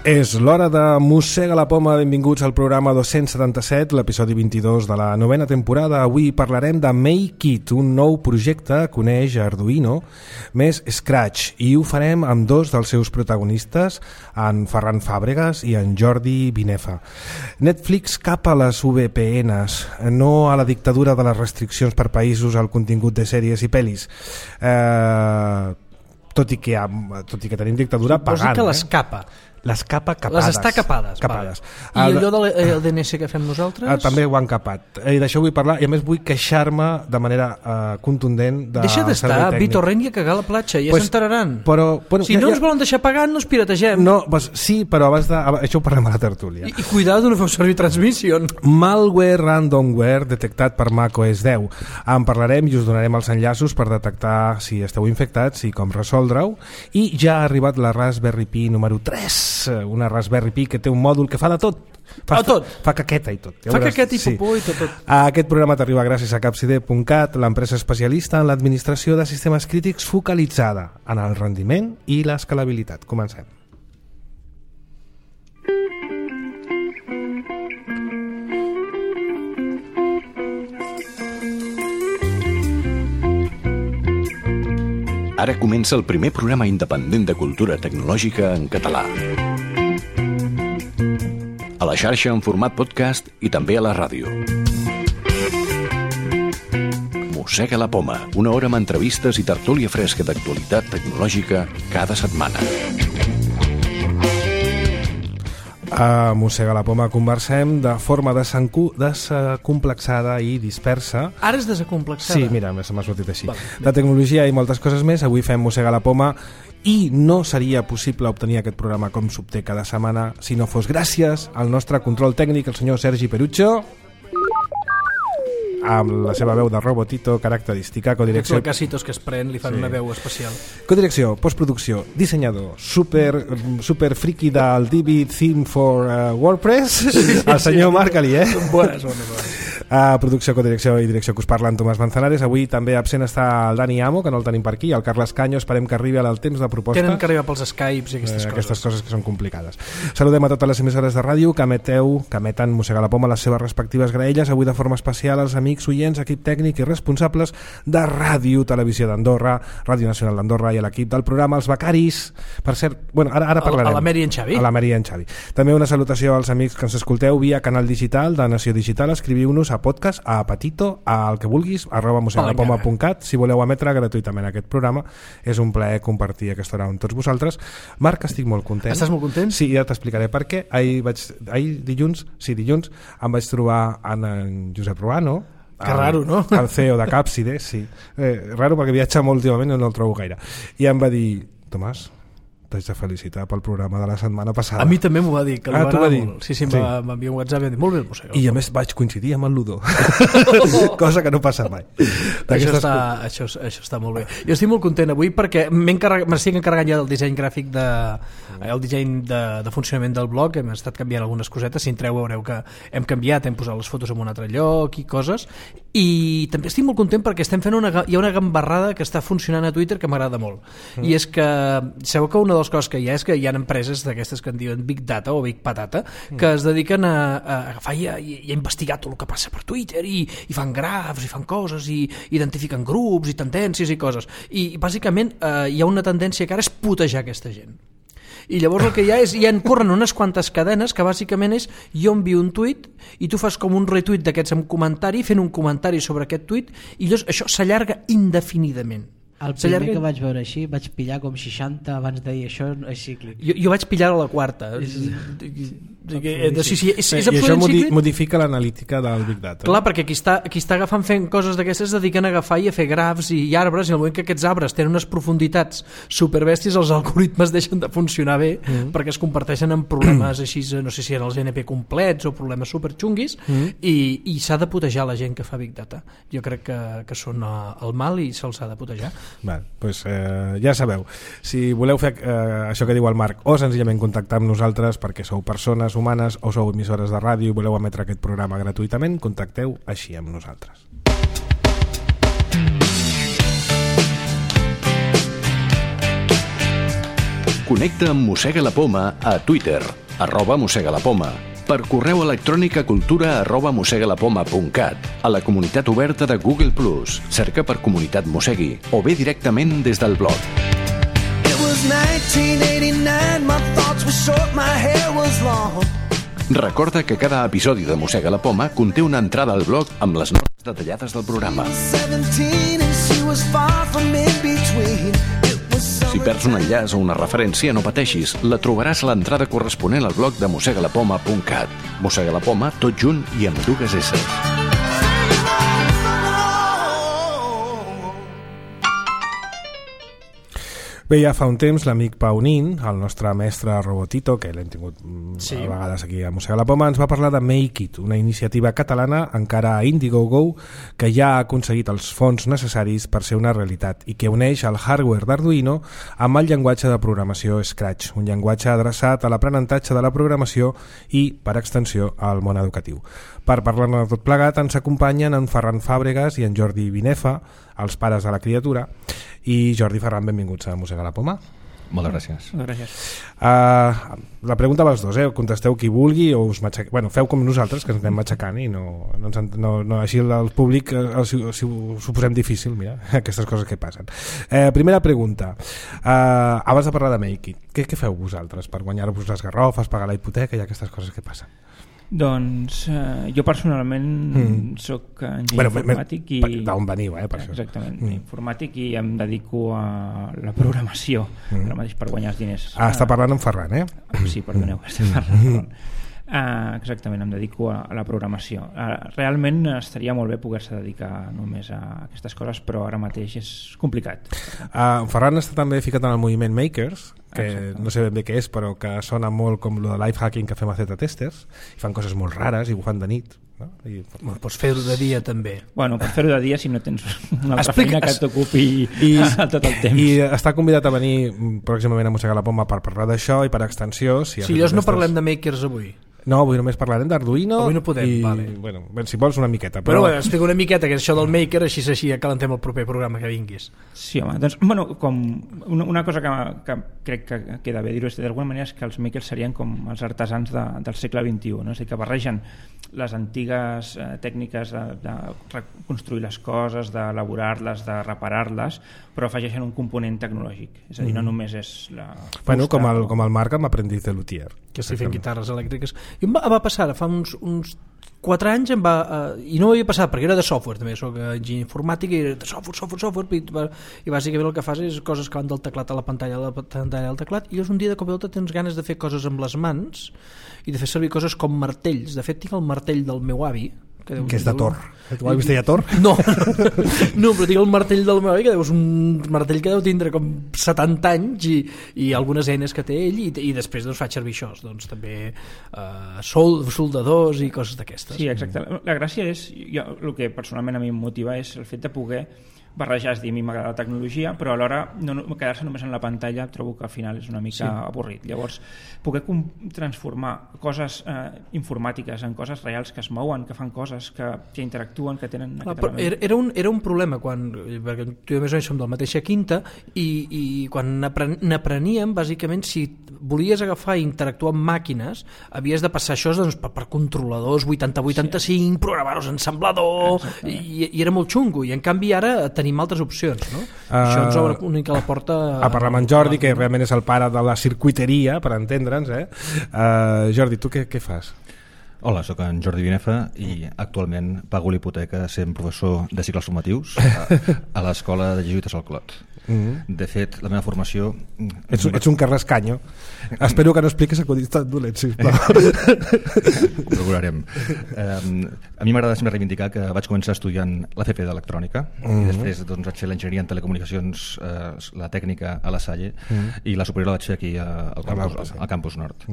És l'hora de Mossega la Poma. Benvinguts al programa 277, l'episodi 22 de la novena temporada. Avui parlarem de MakeIt, un nou projecte que uneix Arduino més Scratch, i ho farem amb dos dels seus protagonistes, en Ferran Fàbregas i en Jordi Binefa. Netflix cap a les VPNs, no a la dictadura de les restriccions per països al contingut de sèries i pel·lis. Tot i que tenim dictadura pagant. Suposo que les capa. Les capa capades. Les està capades. Capades. Vale. I allò del DNS que fem nosaltres? També ho han capat. I d'això vull parlar, i a més vull queixar-me de manera contundent del Deixa d'estar, Vitorrent i a cagar a la platja, ja s'enteraran. Si no ens volen deixar pagar, no ens pirategem. No, sí, però abans de... Això ho parlem a la tertúlia. I cuidado, no feu servir Transmission. Malware ransomware detectat per macOS 10. En parlarem i us donarem els enllaços per detectar si esteu infectats i com resoldre-ho. I ja ha arribat la Raspberry Pi número 3, una Raspberry Pi que té un mòdul que fa de tot. Fa caqueta i tot. Fa caqueta i popó i tot. Aquest programa t'arriba gràcies a Capcide.cat, l'empresa especialista en l'administració de sistemes crítics focalitzada en el rendiment i l'escalabilitat. Comencem. Ara comença el primer programa independent de cultura tecnològica en català. A la xarxa en format podcast i també a la ràdio. Mossega la Poma, una hora amb entrevistes i tertúlia fresca d'actualitat tecnològica cada setmana. A Mossega la Poma conversem de forma desacomplexada i dispersa. Ara és desacomplexada? Sí, mira, se m'ha sortit així. De tecnologia i moltes coses més. Avui fem Mossega la Poma i no seria possible obtenir aquest programa com s'obté cada setmana si no fos gràcies al nostre control tècnic, el senyor Sergi Perucho, amb la seva veu de robotito característica, codirecció... Aquests lacasitos que es pren li fan una veu especial. Codirecció, postproducció, dissenyador, super friki del Divi Theme for WordPress, el senyor Marc Alié. Bones. Producció, codirecció i direcció que us parla en Tomàs Manzanares. Avui també absent està el Dani Amo, que no el tenim per aquí, el Carles Canyo. Esperem que arribi al temps de propostes. Tenen que arribar pels Skypes i aquestes coses que són complicades. Saludem a totes les emissores de ràdio que emeten Mossega la Poma les seves respectives graelles. Avui de forma especial als amics oients, equip tècnic i responsables de Ràdio Televisió d'Andorra, Ràdio Nacional d'Andorra, i a l'equip del programa, els becaris. Per cert, ara parlarem. A la Mary i en Xavi. A la Mary i en Xavi. També una salutació als amics que ens escolteu via canal digital de Nació Digital. Escriviu-nos a podcast, a Petito, al que vulguis, @mosegalapoma.cat, si voleu emetre gratuïtament aquest programa. És un plaer compartir aquesta hora amb tots vosaltres. Marc, estic molt content. Estàs molt content? Sí, ja t'explicaré per què. Dilluns em vaig trobar en Josep Ruano. Que raro, no? El CEO de Capcide, sí. Raro perquè viatja molt últimament i no el trobo gaire. I em va dir, Tomàs, t'haig de felicitar pel programa de la setmana passada. A mi també m'ho va dir, que li va agradar molt. Sí, em va enviar un WhatsApp i em va dir, molt bé el Mossega. I a més vaig coincidir amb el Ludo. Cosa que no passa mai. Això està molt bé. Jo estic molt content avui perquè m'estic encarregant ja del disseny gràfic el disseny de funcionament del blog. Hem estat canviant algunes cosetes. Si entreu veureu que hem canviat, hem posat les fotos en un altre lloc i coses. I també estic molt content perquè estem fent hi ha una gambarrada que està funcionant a Twitter que m'agrada molt. I és que sabeu que una de les coses que hi ha és que hi ha empreses d'aquestes que en diuen Big Data o Big Patata que es dediquen a agafar i a investigar tot el que passa per Twitter i fan grafs i fan coses i identifiquen grups i tendències i coses. I bàsicament hi ha una tendència que ara és putejar aquesta gent. I llavors el que hi ha és, corren unes quantes cadenes que bàsicament és, jo envio un tuit i tu fas com un retuit d'aquests amb comentari, fent un comentari sobre aquest tuit, i llavors això s'allarga indefinidament. El primer que vaig veure així vaig pillar com 60 abans de dir això és cíclic. Jo vaig pillar a la quarta. És I això modifica l'analítica del Big Data. Clar, perquè qui està agafant fent coses d'aquestes es dediquen a agafar i a fer grafs i arbres, i en el moment que aquests arbres tenen unes profunditats superbèsties, els algoritmes deixen de funcionar bé perquè es comparteixen en problemes així, no sé si eren els NP complets o problemes superxunguis, i s'ha de putejar la gent que fa Big Data. Jo crec que són el mal i se'ls ha de putejar. Doncs ja sabeu, si voleu fer això que diu el Marc, o senzillament contactar amb nosaltres perquè sou persones humanes o sou emissores de ràdio i voleu emetre aquest programa gratuïtament, contacteu així amb nosaltres. Connecta amb Mossega la Poma a Twitter, @mossegalapoma, per correu electrònic a cultura@mossegalapoma.cat, a la comunitat oberta de Google+, cerca per Comunitat Mossegui, o bé directament des del blog. It was 1989, my thoughts were short, my hair was long. Recorda que cada episodi de Mossega la Poma conté una entrada al blog amb les notes detallades del programa. 17 and she was far from in between. Si perds un enllaç o una referència, no pateixis, la trobaràs a l'entrada corresponent al blog de mossegalapoma.cat. Mossega la Poma, tot junt i amb 2 S. Bé, ja fa un temps l'amic Pau Nin, el nostre mestre Robotito, que l'hem tingut Sí. a vegades aquí a Mossega la Poma, ens va parlar de Make It, una iniciativa catalana encara a Indiegogo que ja ha aconseguit els fons necessaris per ser una realitat i que uneix el hardware d'Arduino amb el llenguatge de programació Scratch, un llenguatge adreçat a l'aprenentatge de la programació i, per extensió, al món educatiu. Per parlar-ne de tot plegat ens acompanyen en Ferran Fàbregas i en Jordi Binefa, els pares de la criatura. I Jordi, Ferran, benvinguts a Mossega la Poma. Moltes gràcies. La pregunta a les dos, contesteu qui vulgui o us matxaqueu. Bueno, feu com nosaltres, que ens anem matxacant i no, així el públic si ho posem difícil, mira, aquestes coses que passen. Primera pregunta. Abans de parlar de Make It, què feu vosaltres per guanyar-vos les garrofes, pagar la hipoteca i aquestes coses que passen? Doncs jo personalment soc enginyer informàtic i... D'on veniu, per això. Exactament, informàtic, i em dedico a la programació ara mateix per guanyar els diners. Està parlant amb Ferran, Sí, perdoneu, estem parlant. Exactament, em dedico a la programació. Realment estaria molt bé poder-se dedicar només a aquestes coses, però ara mateix és complicat. Ferran està també ficat en el moviment Makers, que no sé ben bé què és, però que sona molt com lo de life hacking que fem a Z-testers, i fan coses molt rares i ho fan de nit, no? Pots fer-ho de dia també. Bueno, per fer-ho de dia si no tens una altra feina que t'ocupi tot el temps. I està convidat a venir pròximament a Mossegar la Poma per parlar d'això i per extensió. Si llavors no parlem de Makers avui. No, avui només parlarem d'Arduino. Avui no podem, vale. Bueno, si vols una miqueta. Però explica una miqueta que és això del Maker, així acalentem el proper programa que vinguis. Sí, home, doncs, com una cosa que crec que queda bé dir-ho d'alguna manera és que els Makers serien com els artesans del segle XXI, no? És a dir, que barregen les antigues tècniques de reconstruir les coses, d'elaborar-les, de reparar-les, però afegeixen un component tecnològic. És a dir, no només és la fusta... Bueno, com el Marc amb Aprendiz de Luthier. Que estic fent guitarres elèctriques. I em va passar fa uns 4 anys i no m'havia passat perquè era de software també, soc enginyer informàtic i era de software i bàsicament el que fas és coses que van del teclat a la pantalla del teclat, i llavors un dia de cop i volta tens ganes de fer coses amb les mans i de fer servir coses com martells. De fet tinc el martell del meu avi que és de Thor. Tu l'has vist ja Thor? No, però tinc el martell del meu avi, que és un martell que deu tindre com 70 anys i algunes eines que té ell, i després faig servir això, doncs també soldadors i coses d'aquestes. Sí, exacte. La gràcia és, el que personalment a mi em motiva és el fet de poder barrejar, és dir, a mi m'agrada la tecnologia, però alhora no quedar-se només en la pantalla trobo que al final és una mica avorrit. Llavors, poder transformar coses informàtiques en coses reals que es mouen, que fan coses, que interactuen, que tenen... Era un problema perquè tu i més o menys som del mateixa quinta i quan n'apreníem, bàsicament, si volies agafar i interactuar amb màquines, havies de passar això per controladors 8085, programar-los en ensamblador, i era molt xungo, i en canvi ara tenim altres opcions, no? Això ens obre una mica la porta a parlar amb en Jordi, que realment és el pare de la circuiteria, per entendre'ns. Jordi, tu què fas? Hola, sóc en Jordi Binefa i actualment pago l'hipoteca sent professor de cicles formatius a l'escola de jesuïtes al Clot. De fet, la meva formació... Ets un carrascanyo. Espero que no expliquis acudits tan dolents, sisplau. Procurarem. A mi m'agrada sempre reivindicar que vaig començar estudiant l'FP d'electrònica i després vaig fer l'enginyeria en telecomunicacions, la tècnica a la Salle, i la superior la vaig fer aquí al Campus Nord.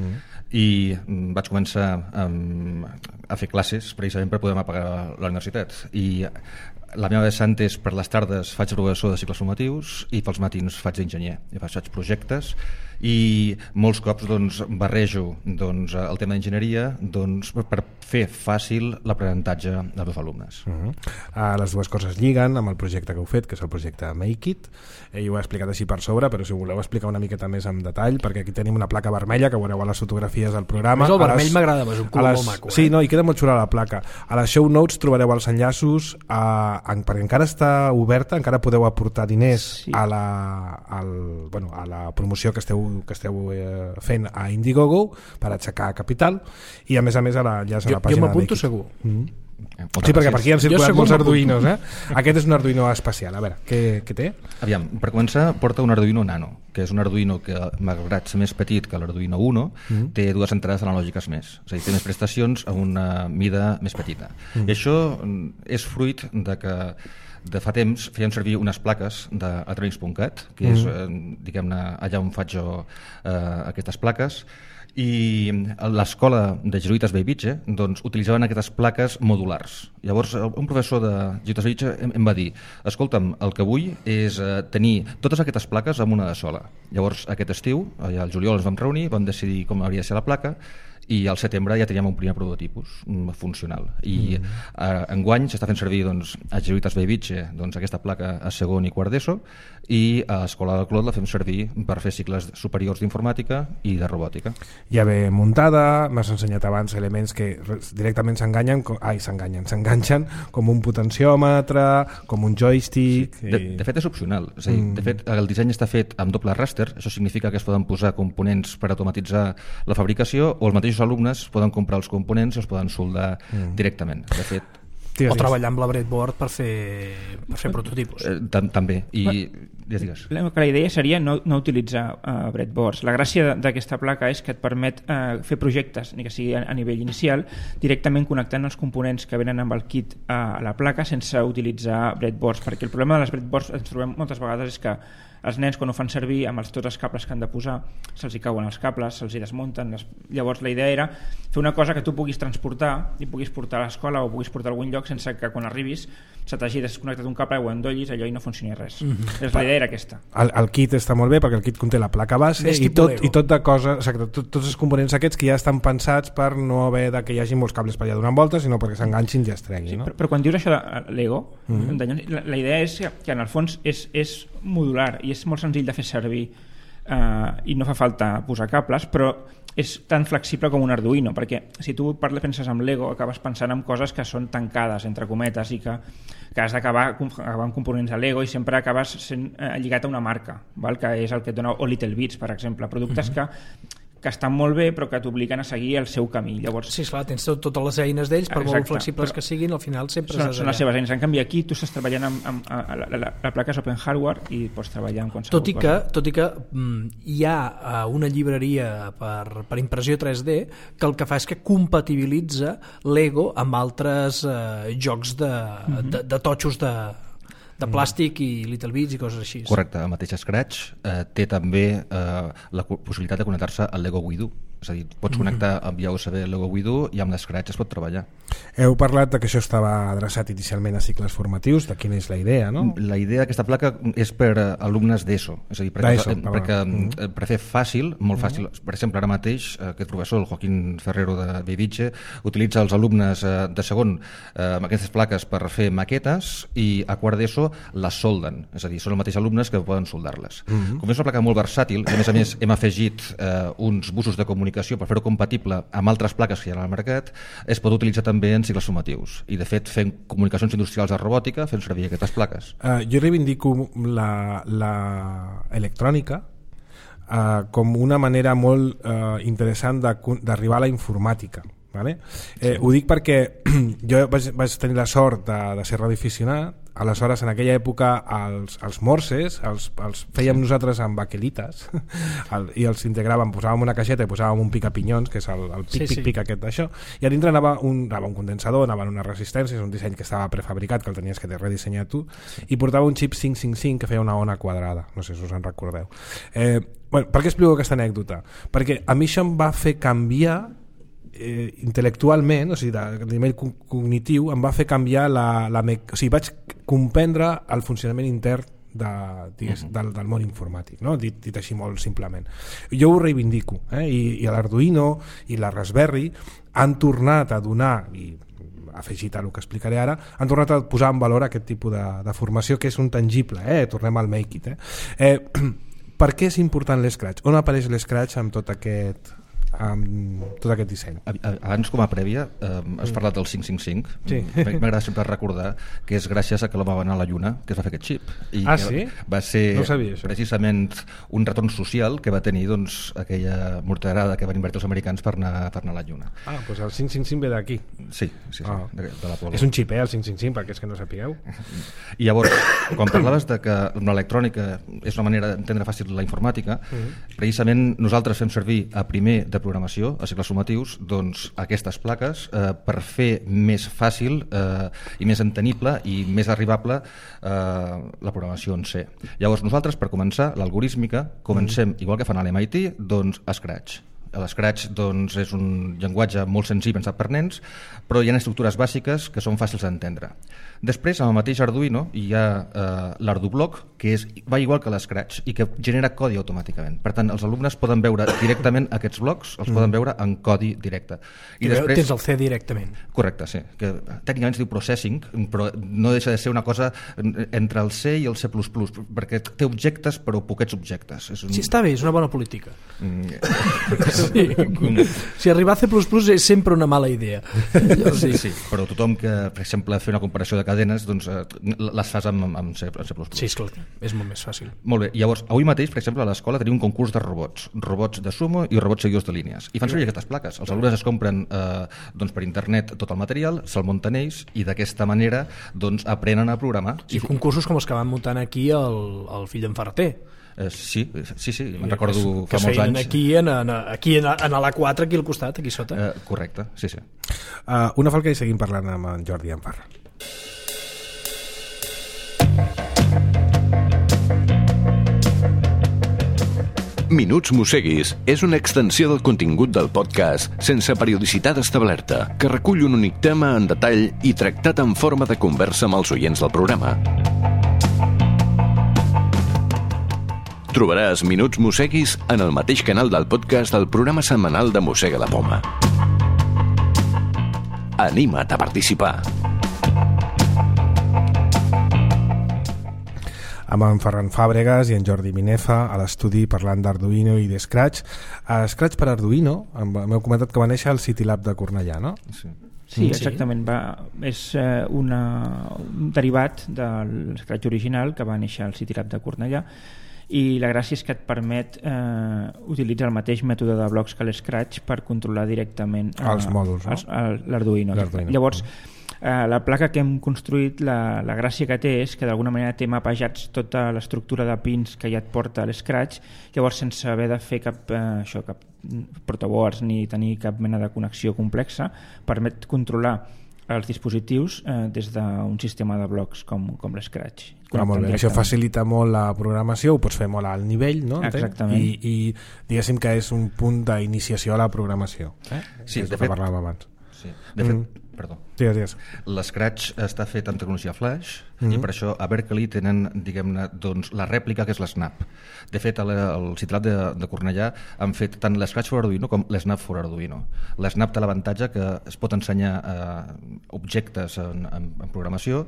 I vaig començar a fer classes precisament per poder pagar la universitat, i La meva vessant és per les tardes faig professor de cicles formatius i pels matins faig d'enginyer. Faig projectes i molts cops barrejo el tema d'enginyeria per fer fàcil l'aprenentatge dels alumnes. Les dues coses lliguen amb el projecte que heu fet, que és el projecte Make It. Jo ho he explicat així per sobre, però si ho voleu explicar una miqueta més en detall, perquè aquí tenim una placa vermella que veureu a les fotografies del programa. El vermell m'agrada, és un color molt maco. Sí, no, i queda molt xula la placa. A les show notes trobareu els enllaços perquè encara està oberta, encara podeu aportar diners a la promoció que esteu fent a Indiegogo per aixecar capital, i a més a l'enllaç a la pàgina. Jo m'apunto segur. Sí, perquè per aquí han circulat molts Arduinos, Aquest és un Arduino especial. A veure, què té? Aviam, per començar, porta un Arduino Nano, que és un Arduino que, malgrat ser més petit que l'Arduino Uno, té dues entrades analògiques més, és a dir, té més prestacions a una mida més petita. I això és fruit de que de fa temps fèiem servir unes plaques d'Atronics.cat, que és, diguem-ne, allà on faig jo aquestes plaques, i l'escola de jesuïtes Bellvitge utilitzaven aquestes plaques modulars. Llavors un professor de jesuïtes Bellvitge em va dir: escolta'm, el que vull és tenir totes aquestes plaques en una de sola. Llavors aquest estiu, al juliol ens vam reunir, vam decidir com hauria de ser la placa, i al setembre ja teníem un primer prototipus funcional, i enguany s'està fent servir a jesuïtes Bellvitge aquesta placa a segon i quart d'ESO, i a l'Escola del Clot la fem servir per fer cicles superiors d'informàtica i de robòtica. Ja ve muntada, m'has ensenyat abans elements que directament s'enganxen com un potenciòmetre, com un joystick. De fet és opcional, és a dir, de fet el disseny està fet amb doble ràster, això significa que es poden posar components per automatitzar la fabricació, o els mateixos alumnes poden comprar els components i els poden soldar directament. De fet, o treballar amb la breadboard per fer prototipus. També. I digues. La idea seria no utilitzar breadboards. La gràcia d'aquesta placa és que et permet fer projectes, ni que sigui a nivell inicial, directament connectant els components que venen amb el kit a la placa sense utilitzar breadboards, perquè el problema de les breadboards ens trobem moltes vegades és que els nens, quan ho fan servir amb tots els cables que han de posar, se'ls hi cauen els cables, se'ls hi desmunten. Llavors la idea era fer una cosa que tu puguis transportar i puguis portar a l'escola o puguis portar a algun lloc sense que quan arribis se t'hagi desconnectat un cable o endollis allò i no funcioni res. La idea era aquesta. El kit està molt bé perquè el kit conté la placa base i tot de coses, exacte, tots els components aquests que ja estan pensats per no haver que hi hagi molts cables per allà donant voltes, sinó perquè s'enganxin i es treguin. Però quan dius això de Lego, la idea és que en el fons és modular i és molt senzill de fer servir i no fa falta posar cables, però és tan flexible com un Arduino, perquè si tu penses en Lego acabes pensant en coses que són tancades entre cometes i que has d'acabar amb components de Lego i sempre acabes sent lligat a una marca, que és el que et dona o Little Bits, per exemple, productes que estan molt bé però que t'obliguen a seguir el seu camí. Llavors, sí, clar, tens totes les eines d'ells, per molt flexibles que siguin, al final sempre són les seves eines. En canvi aquí tu estàs treballant amb la placa és Open Hardware i pots treballar amb qualsevol cosa. Tot i que hi ha una llibreria per impressió 3D que el que fa és que compatibilitza Lego amb altres jocs de totxos de plàstic i Little Bits i coses així. Correcte, el mateix Scratch té també la possibilitat de connectar-se al Lego Widow, és a dir, pots connectar via USB el Lego Widow i amb l'Scratch es pot treballar. Heu parlat que això estava adreçat inicialment a cicles formatius, de quina és la idea, no? La idea d'aquesta placa és per alumnes d'ESO, és a dir, perquè per fer fàcil, molt fàcil, per exemple, ara mateix aquest professor, el Joaquín Ferrero de Bellvitge, utilitza els alumnes de segon amb aquestes plaques per fer maquetes i a quart d'ESO les solden, és a dir, són els mateixos alumnes que poden soldar-les. Com és una placa molt versàtil, i a més hem afegit uns busos de comunicació per fer-ho compatible amb altres plaques que hi ha al mercat, es pot utilitzar també en cicles formatius i de fet fent comunicacions industrials de robòtica fent servir aquestes plaques. Jo reivindico la electrònica com una manera molt interessant d'arribar a la informàtica. Vale? Ho dic perquè jo vaig tenir la sort de ser radioaficionat. Aleshores, en aquella època els morses els fèiem nosaltres amb baquelites i els integràvem, posàvem una caixeta i posàvem un picapinyons, que és el pic aquest d'això, i a dintre anava un condensador, anaven unes resistències, un disseny que estava prefabricat, que el tenies que redissenyar tu, i portava un xip 555 que feia una ona quadrada, no sé si us en recordeu. Per què explico aquesta anècdota? Perquè a mi això em va fer canviar intel·lectualment, o sigui, de nivell cognitiu, em va fer canviar o sigui, vaig comprendre el funcionament intern del món informàtic, no? dit així molt simplement. Jo ho reivindico, i l'Arduino i la Raspberry han tornat a donar, i afegit a el que explicaré ara, han tornat a posar en valor aquest tipus de formació que és un tangible, tornem al Make It. Per què és important l'Scratch? On apareix l'Scratch amb tot aquest disseny? Abans, com a prèvia, has parlat del 555. Sí. M'agrada sempre recordar que és gràcies a que l'home va anar a la Lluna que es va fer aquest xip. I sí? Va ser no sabia, precisament un retorn social que va tenir aquella morterada que van invertir els americans per anar a la Lluna. Doncs el 555 ve d'aquí. Sí, de l'Apolo. És un xip, el 555, perquè és que no sapigueu. I llavors, quan parlaves de que l'electrònica és una manera d'entendre fàcil la informàtica, precisament nosaltres fem servir a primer de programació, a cicles formatius, doncs aquestes plaques per fer més fàcil i més entenible i més arribable la programació en C. Llavors nosaltres, per començar, l'algorítmica, comencem, igual que fan a l'MIT, doncs a Scratch. L'Scratch doncs, és un llenguatge molt senzill pensat per nens, però hi ha estructures bàsiques que són fàcils d'entendre. Després, amb el mateix Arduino, hi ha l'Ardublock, que va igual que l'Scratch i que genera codi automàticament. Per tant, els alumnes poden veure directament aquests blocs, els poden veure en codi directe. I després tens el C directament. Correcte, sí. Que tècnicament es diu processing, però no deixa de ser una cosa entre el C i el C++, perquè té objectes però poquets objectes. Sí, està bé, és una bona política. Sí. Si arribar a C++ és sempre una mala idea. Sí, però tothom que, per exemple, fer una comparació de cadenes, doncs les fas amb C++. Sí, esclar, és molt més fàcil. Molt bé, llavors, avui mateix, per exemple, a l'escola tenim un concurs de robots de sumo i robots seguidors de línies. I fan servir aquestes plaques. Els alumnes es compren per internet tot el material, se'l munten ells i d'aquesta manera aprenen a programar. I concursos com els que van muntant aquí el fill d'en Ferreter. Sí, me'n recordo fa molts anys. Aquí en l'A4, aquí al costat, aquí sota. Correcte, sí. Una falca i seguim parlant amb en Jordi i en Ferran. Minuts Mosseguis és una extensió del contingut del podcast sense periodicitat establerta, que recull un únic tema en detall i tractat en forma de conversa amb els oients del programa. Trobaràs Minuts Mosseguis en el mateix canal del podcast del programa setmanal de Mossega la Poma. Anima't a participar. Amb en Ferran Fàbregas i en Jordi Minefa a l'estudi parlant d'Arduino i de Scratch. Scratch per Arduino, m'heu comentat que va néixer al CityLab de Cornellà, no? Sí, exactament. És un derivat del Scratch original que va néixer al CityLab de Cornellà, i la gràcia és que et permet utilitzar el mateix mètode de blocs que l'Scratch per controlar directament els mòduls, l'Arduino. Llavors, la placa que hem construït, la gràcia que té és que d'alguna manera té mapejats tota l'estructura de pins que ja et porta l'Scratch, llavors sense haver de fer cap protoboards ni tenir cap mena de connexió complexa, permet controlar els dispositius des d'un sistema de blocs com l'Scratch. Molt bé. Això facilita molt la programació, ho pots fer molt al nivell, no? Exactament. I diguéssim que és un punt d'iniciació a la programació. Sí, de fet, parlàvem abans. Sí. De fet, perdó. Digues. L'Scratch està fet amb tecnologia Flash i per això a Berkeley tenen, diguem-ne, la rèplica que és l'Snap. De fet, al CityLab de Cornellà han fet tant l'Scratch for Arduino com l'Snap for Arduino. L'Snap té l'avantatge que es pot ensenyar objectes en programació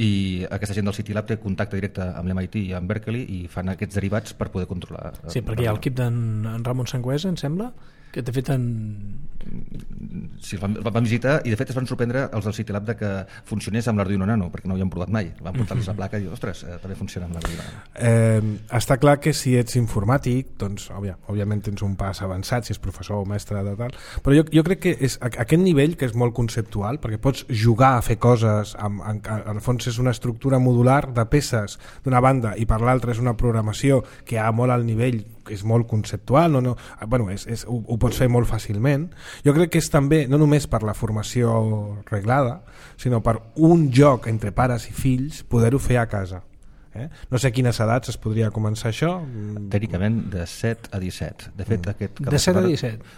i aquesta gent del CityLab té contacte directe amb l'MIT i amb Berkeley i fan aquests derivats per poder controlar. Sí, perquè hi ha l'equip d'en Ramon Sangüesa, em sembla, que de fet Sí, van visitar i de fet es van sorprendre els del CityLab de que funcionés amb l'Arduino Nano, perquè no ho havien provat mai. Van portar-los la placa i dir, ostres, també funciona amb l'Arduino Nano. Està clar que si ets informàtic, doncs òbviament tens un pas avançat, si és professor o mestre de tal, però jo crec que és aquest nivell que és molt conceptual, perquè pots jugar a fer coses, en el fons és una estructura modular de peces d'una banda i per l'altra és una programació que ha molt al nivell, que és molt conceptual, ho pots fer molt fàcilment. Jo crec que és també, no només per la formació reglada, sinó per un joc entre pares i fills, poder-ho fer a casa. No sé a quines edats es podria començar això. Tècnicament de 7 a 17. De fet, aquest de 7 a 17.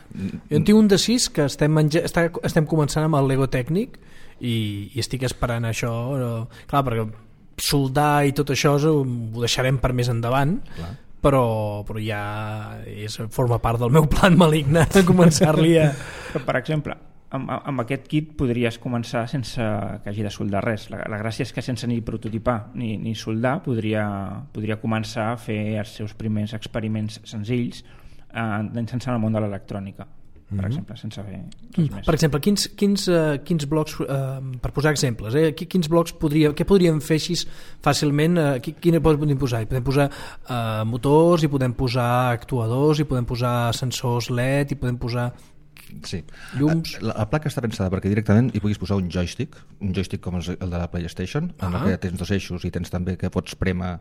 Jo en tinc un de 6 que estem començant amb el Lego tècnic i estic esperant això. Clar, perquè soldar i tot això ho deixarem per més endavant. Clar. Però ja forma part del meu plan maligne de començar-li a... Per exemple, amb aquest kit podries començar sense que hagi de soldar res. La gràcia és que sense ni prototipar ni soldar podria començar a fer els seus primers experiments senzills sense el món de l'electrònica, per exemple, sense fer res més. Per exemple, quins blocs, per posar exemples, quins blocs què podríem fer així fàcilment? Quina podem posar? Hi podem posar motors, hi podem posar actuadors, hi podem posar sensors LED, hi podem posar... Sí. Llums. La placa està pensada perquè directament hi puguis posar un joystick com el de la PlayStation, en què tens 2 eixos i tens també que pots prémer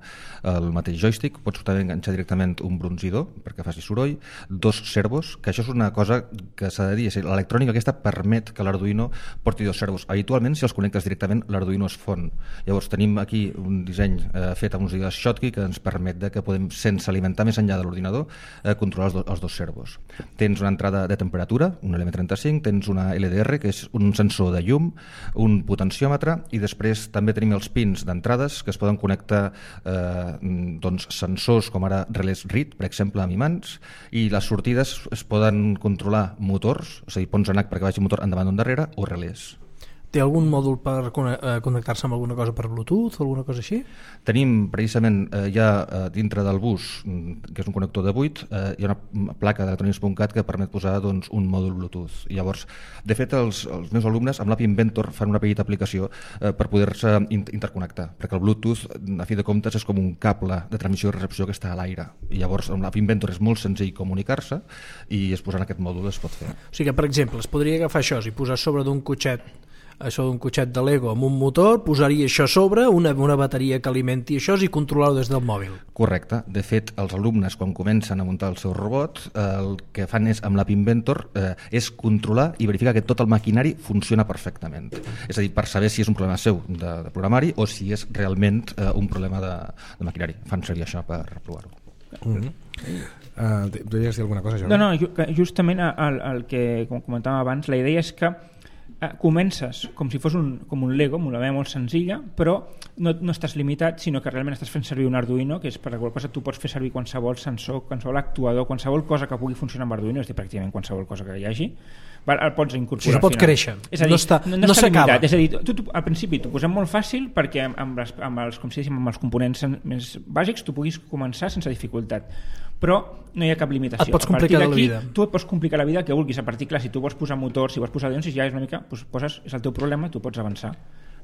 el mateix joystick, pots també enganxar directament un brunzidor perquè faci soroll, 2 servos, que això és una cosa que s'ha de dir, l'electrònica aquesta permet que l'Arduino porti 2 servos. Habitualment, si els connectes directament, l'Arduino es fon. Llavors tenim aquí un disseny fet amb uns digues Schottky que ens permet que podem, sense alimentar més enllà de l'ordinador, controlar els 2 servos. Tens una entrada de temperatura, un LM35, tens una LDR, que és un sensor de llum, un potenciòmetre, i després també tenim els pins d'entrades que es poden connectar sensors com ara relés RID, per exemple, amb imants, i les sortides es poden controlar motors, és a dir, ponts en H perquè vagi motor endavant o endarrere, o relés. Té algun mòdul per connectar-se amb alguna cosa per Bluetooth o alguna cosa així? Tenim precisament ja dintre del bus, que és un connector de 8, hi ha una placa d'electronics.cat que permet posar un mòdul Bluetooth. I llavors, de fet, els meus alumnes amb l'App Inventor fan una petita aplicació per poder-se interconnectar, perquè el Bluetooth, a fi de comptes, és com un cable de transmissió i recepció que està a l'aire. I llavors, amb l'App Inventor és molt senzill comunicar-se i es posant aquest mòdul es pot fer. O sigui que, per exemple, es podria agafar això i posar sobre d'un cotxet de Lego amb un motor, posaria això a sobre, una bateria que alimenti això i controlar-ho des del mòbil. Correcte. De fet, els alumnes, quan comencen a muntar el seu robot, el que fan és, amb l'App Inventor, és controlar i verificar que tot el maquinari funciona perfectament. És a dir, per saber si és un problema seu de programari o si és realment un problema de maquinari. Fan servir això per provar-ho. Deies dir alguna cosa, Jordi? No, justament el que comentàvem abans, la idea és que comences com si fos com un Lego, amb una manera molt senzilla, però no estàs limitat, sinó que realment estàs fent servir un Arduino, que és per la qual cosa tu pots fer servir qualsevol sensor, qualsevol actuador, qualsevol cosa que pugui funcionar amb Arduino, és a dir, pràcticament qualsevol cosa que hi hagi, el pots incorporar. Això pot créixer, és a dir, no s'acaba. És a dir, al principi t'ho posem molt fàcil perquè amb els components més bàsics tu puguis començar sense dificultat, però no hi ha cap limitació. Et pots complicar la vida. Tu et pots complicar la vida que vulguis. A partir, clar, si tu vols posar motors, si vols posar avions, ja és una mica, és el teu problema, tu pots avançar.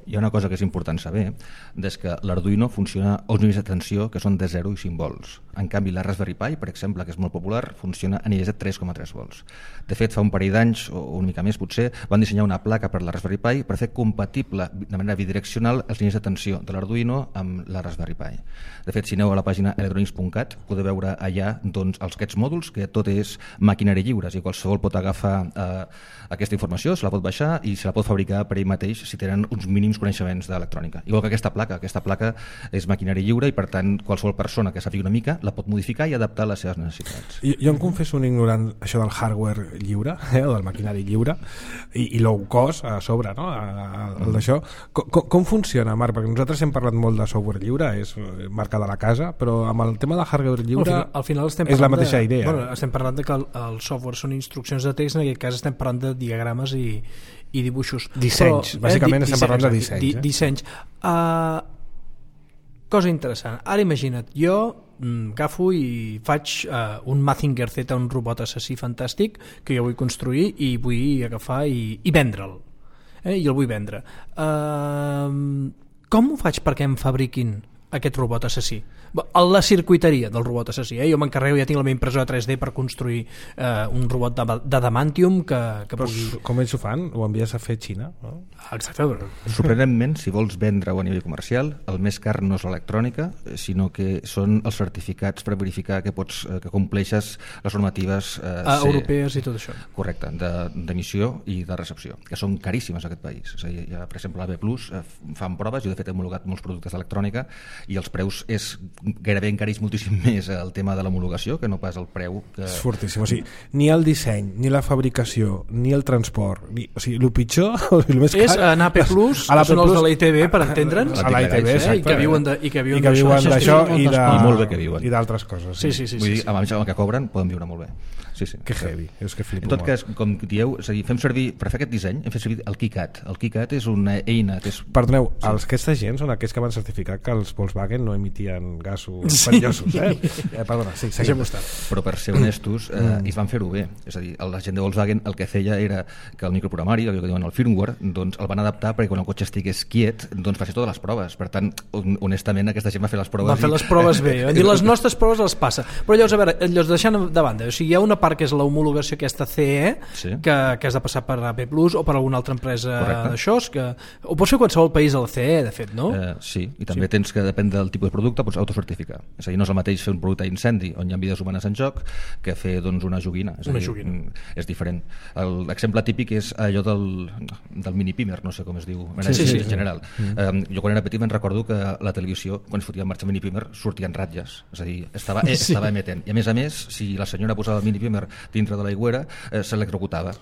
Hi ha una cosa que és important saber, és que l'Arduino funciona a uns nivells de tensió que són de 0 i 5 volts. En canvi, la Raspberry Pi, per exemple, que és molt popular, funciona a nivells de 3,3 volts. De fet, fa un parell d'anys, o una mica més potser, van dissenyar una placa per la Raspberry Pi per fer compatible de manera bidireccional els nivells de tensió de l'Arduino amb la Raspberry Pi. De fet, si aneu a la pàgina electronics.cat, podeu veure allà aquests mòduls, que tot és maquinari lliures, i qualsevol pot agafar aquesta informació, se la pot baixar i se la pot fabricar per ell mateix si tenen uns mínims coneixements d'electrònica. Igual que aquesta placa és maquinari lliure i per tant qualsevol persona que sàpiga una mica la pot modificar i adaptar a les seves necessitats. Jo em confesso un ignorant això del hardware lliure, o del maquinari lliure, i low cost a sobre, no? El d'això. Com funciona, Marc? Perquè nosaltres hem parlat molt de software lliure, és marca de la casa, però amb el tema de hardware lliure al final és la mateixa idea. Bueno, estem parlant de que el software són instruccions de text, en aquest cas estem parlant de diagrames i dibuixos. Dissenys, bàsicament estem parlant de dissenys. Dissenys. Cosa interessant. Ara imagina't, jo agafo i faig un Mazinger Z, un robot assassí fantàstic que jo vull construir i vull agafar i vendre'l. I el vull vendre. Com ho faig perquè em fabriquin aquest robot assassí? La circuiteria del robot assassí. Jo m'encarrego, ja tinc la meva impressora 3D per construir un robot d'adamantium que pugui... Com ells ho fan? Ho envies a fer a Xina? No? Exacte. Sorprenentment, si vols vendre-ho a nivell comercial, el més car no és l'electrònica, sinó que són els certificats per verificar que compleixes les normatives europees i tot això. Correcte, d'emissió i de recepció, que són caríssimes a aquest país. És a dir, per exemple, l'AB Plus fan proves, jo de fet he homologat molts productes d'electrònica i els preus gairebé encareix moltíssim més el tema de l'homologació que no pas el preu que... És fortíssim, o sigui, ni el disseny ni la fabricació, ni el transport o sigui, el pitjor, el més car és anar a P+, que són els de la ITV per entendre'ns, a la ITV, i que viuen d'això i d'altres coses. Vull dir, amb el que cobren poden viure molt bé. Sí. Que heavy, és que flipo. En tot cas, com dieu, és a dir, fem servir, per fer aquest disseny, hem fet servir el KiCad. El KiCad és una eina que és... Perdoneu, aquesta gent són aquells que van certificar que els Volkswagen no emitien gasos perillosos, perdona, sí, seguim estant. Però per ser honestos, ells van fer-ho bé. És a dir, la gent de Volkswagen el que feia era que el microprogramari, el que diuen el firmware, doncs el van adaptar perquè quan el cotxe estigués quiet, doncs va fer totes les proves. Per tant, honestament, aquesta gent va fer les proves... Va fer les proves bé. I les nostres proves les passa. Però llavors, a veure, deixant de banda, o sigui, hi ha una part que és la homologació aquesta CE, que has de passar per AP+, o per alguna altra empresa d'això, que ho pots fer qualsevol país a la CE, de fet, no? Sí, i també tens que, depèn del tipus de producte, pots autocertificar. És a dir, no és el mateix fer un producte d'incendi on hi ha vides humanes en joc que fer doncs, una joguina. És diferent. L'exemple típic és allò del mini-pimer, no sé com es diu en general. Jo quan era petit me'n recordo que la televisió, quan es fotia en marxa el mini-pimer, sortien ratlles. És a dir, estava emetent. I a més, si la senyora posava el mini-pimer dintre de l'aigüera, s'electrocutava.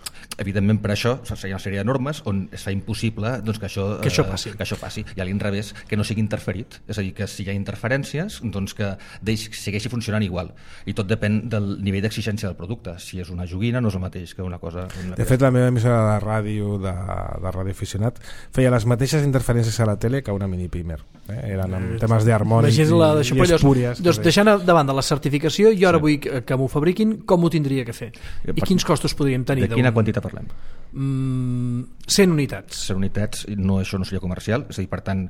Evidentment, per això hi ha una sèrie de normes on es fa impossible doncs, que això passi. I a l'inrevés, que no sigui interferit. És a dir, que si hi ha interferències, doncs que segueixi funcionant igual. I tot depèn del nivell d'exigència del producte. Si és una joguina, no és el mateix que una cosa... De fet, la meva emissora de ràdio, de ràdio aficionat, feia les mateixes interferències a la tele que una mini-pimer. Eren amb temes d'harmònics i espúries. Doncs deixant davant de la certificació, jo ara vull que m'ho fabriquin, com ho tindria que fer? I quins costos podríem tenir? De quina quantitat parlem? 100 unitats. 100 unitats, això no seria comercial, és a dir, per tant,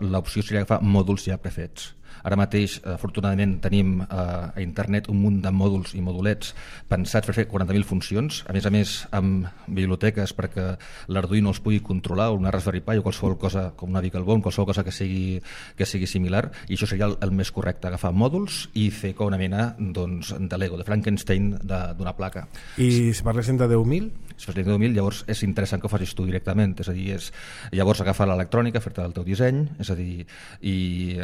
l'opció seria agafar mòduls ja prefets. Ara mateix, afortunadament, tenim a internet un munt de mòduls i modulets pensats per fer 40.000 funcions, a més, amb biblioteques perquè l'Arduino els pugui controlar, o una Raspberry Pi, o qualsevol cosa com una Beaglebone, qualsevol cosa que sigui similar, i això seria el més correcte, agafar mòduls i fer com una mena doncs, de Lego, de Frankenstein d'una placa. I si parléssim de 10.000? Si parléssim de 10.000, llavors és interessant que ho facis tu directament, és a dir, llavors agafar l'electrònica, fer-te el teu disseny, és a dir, i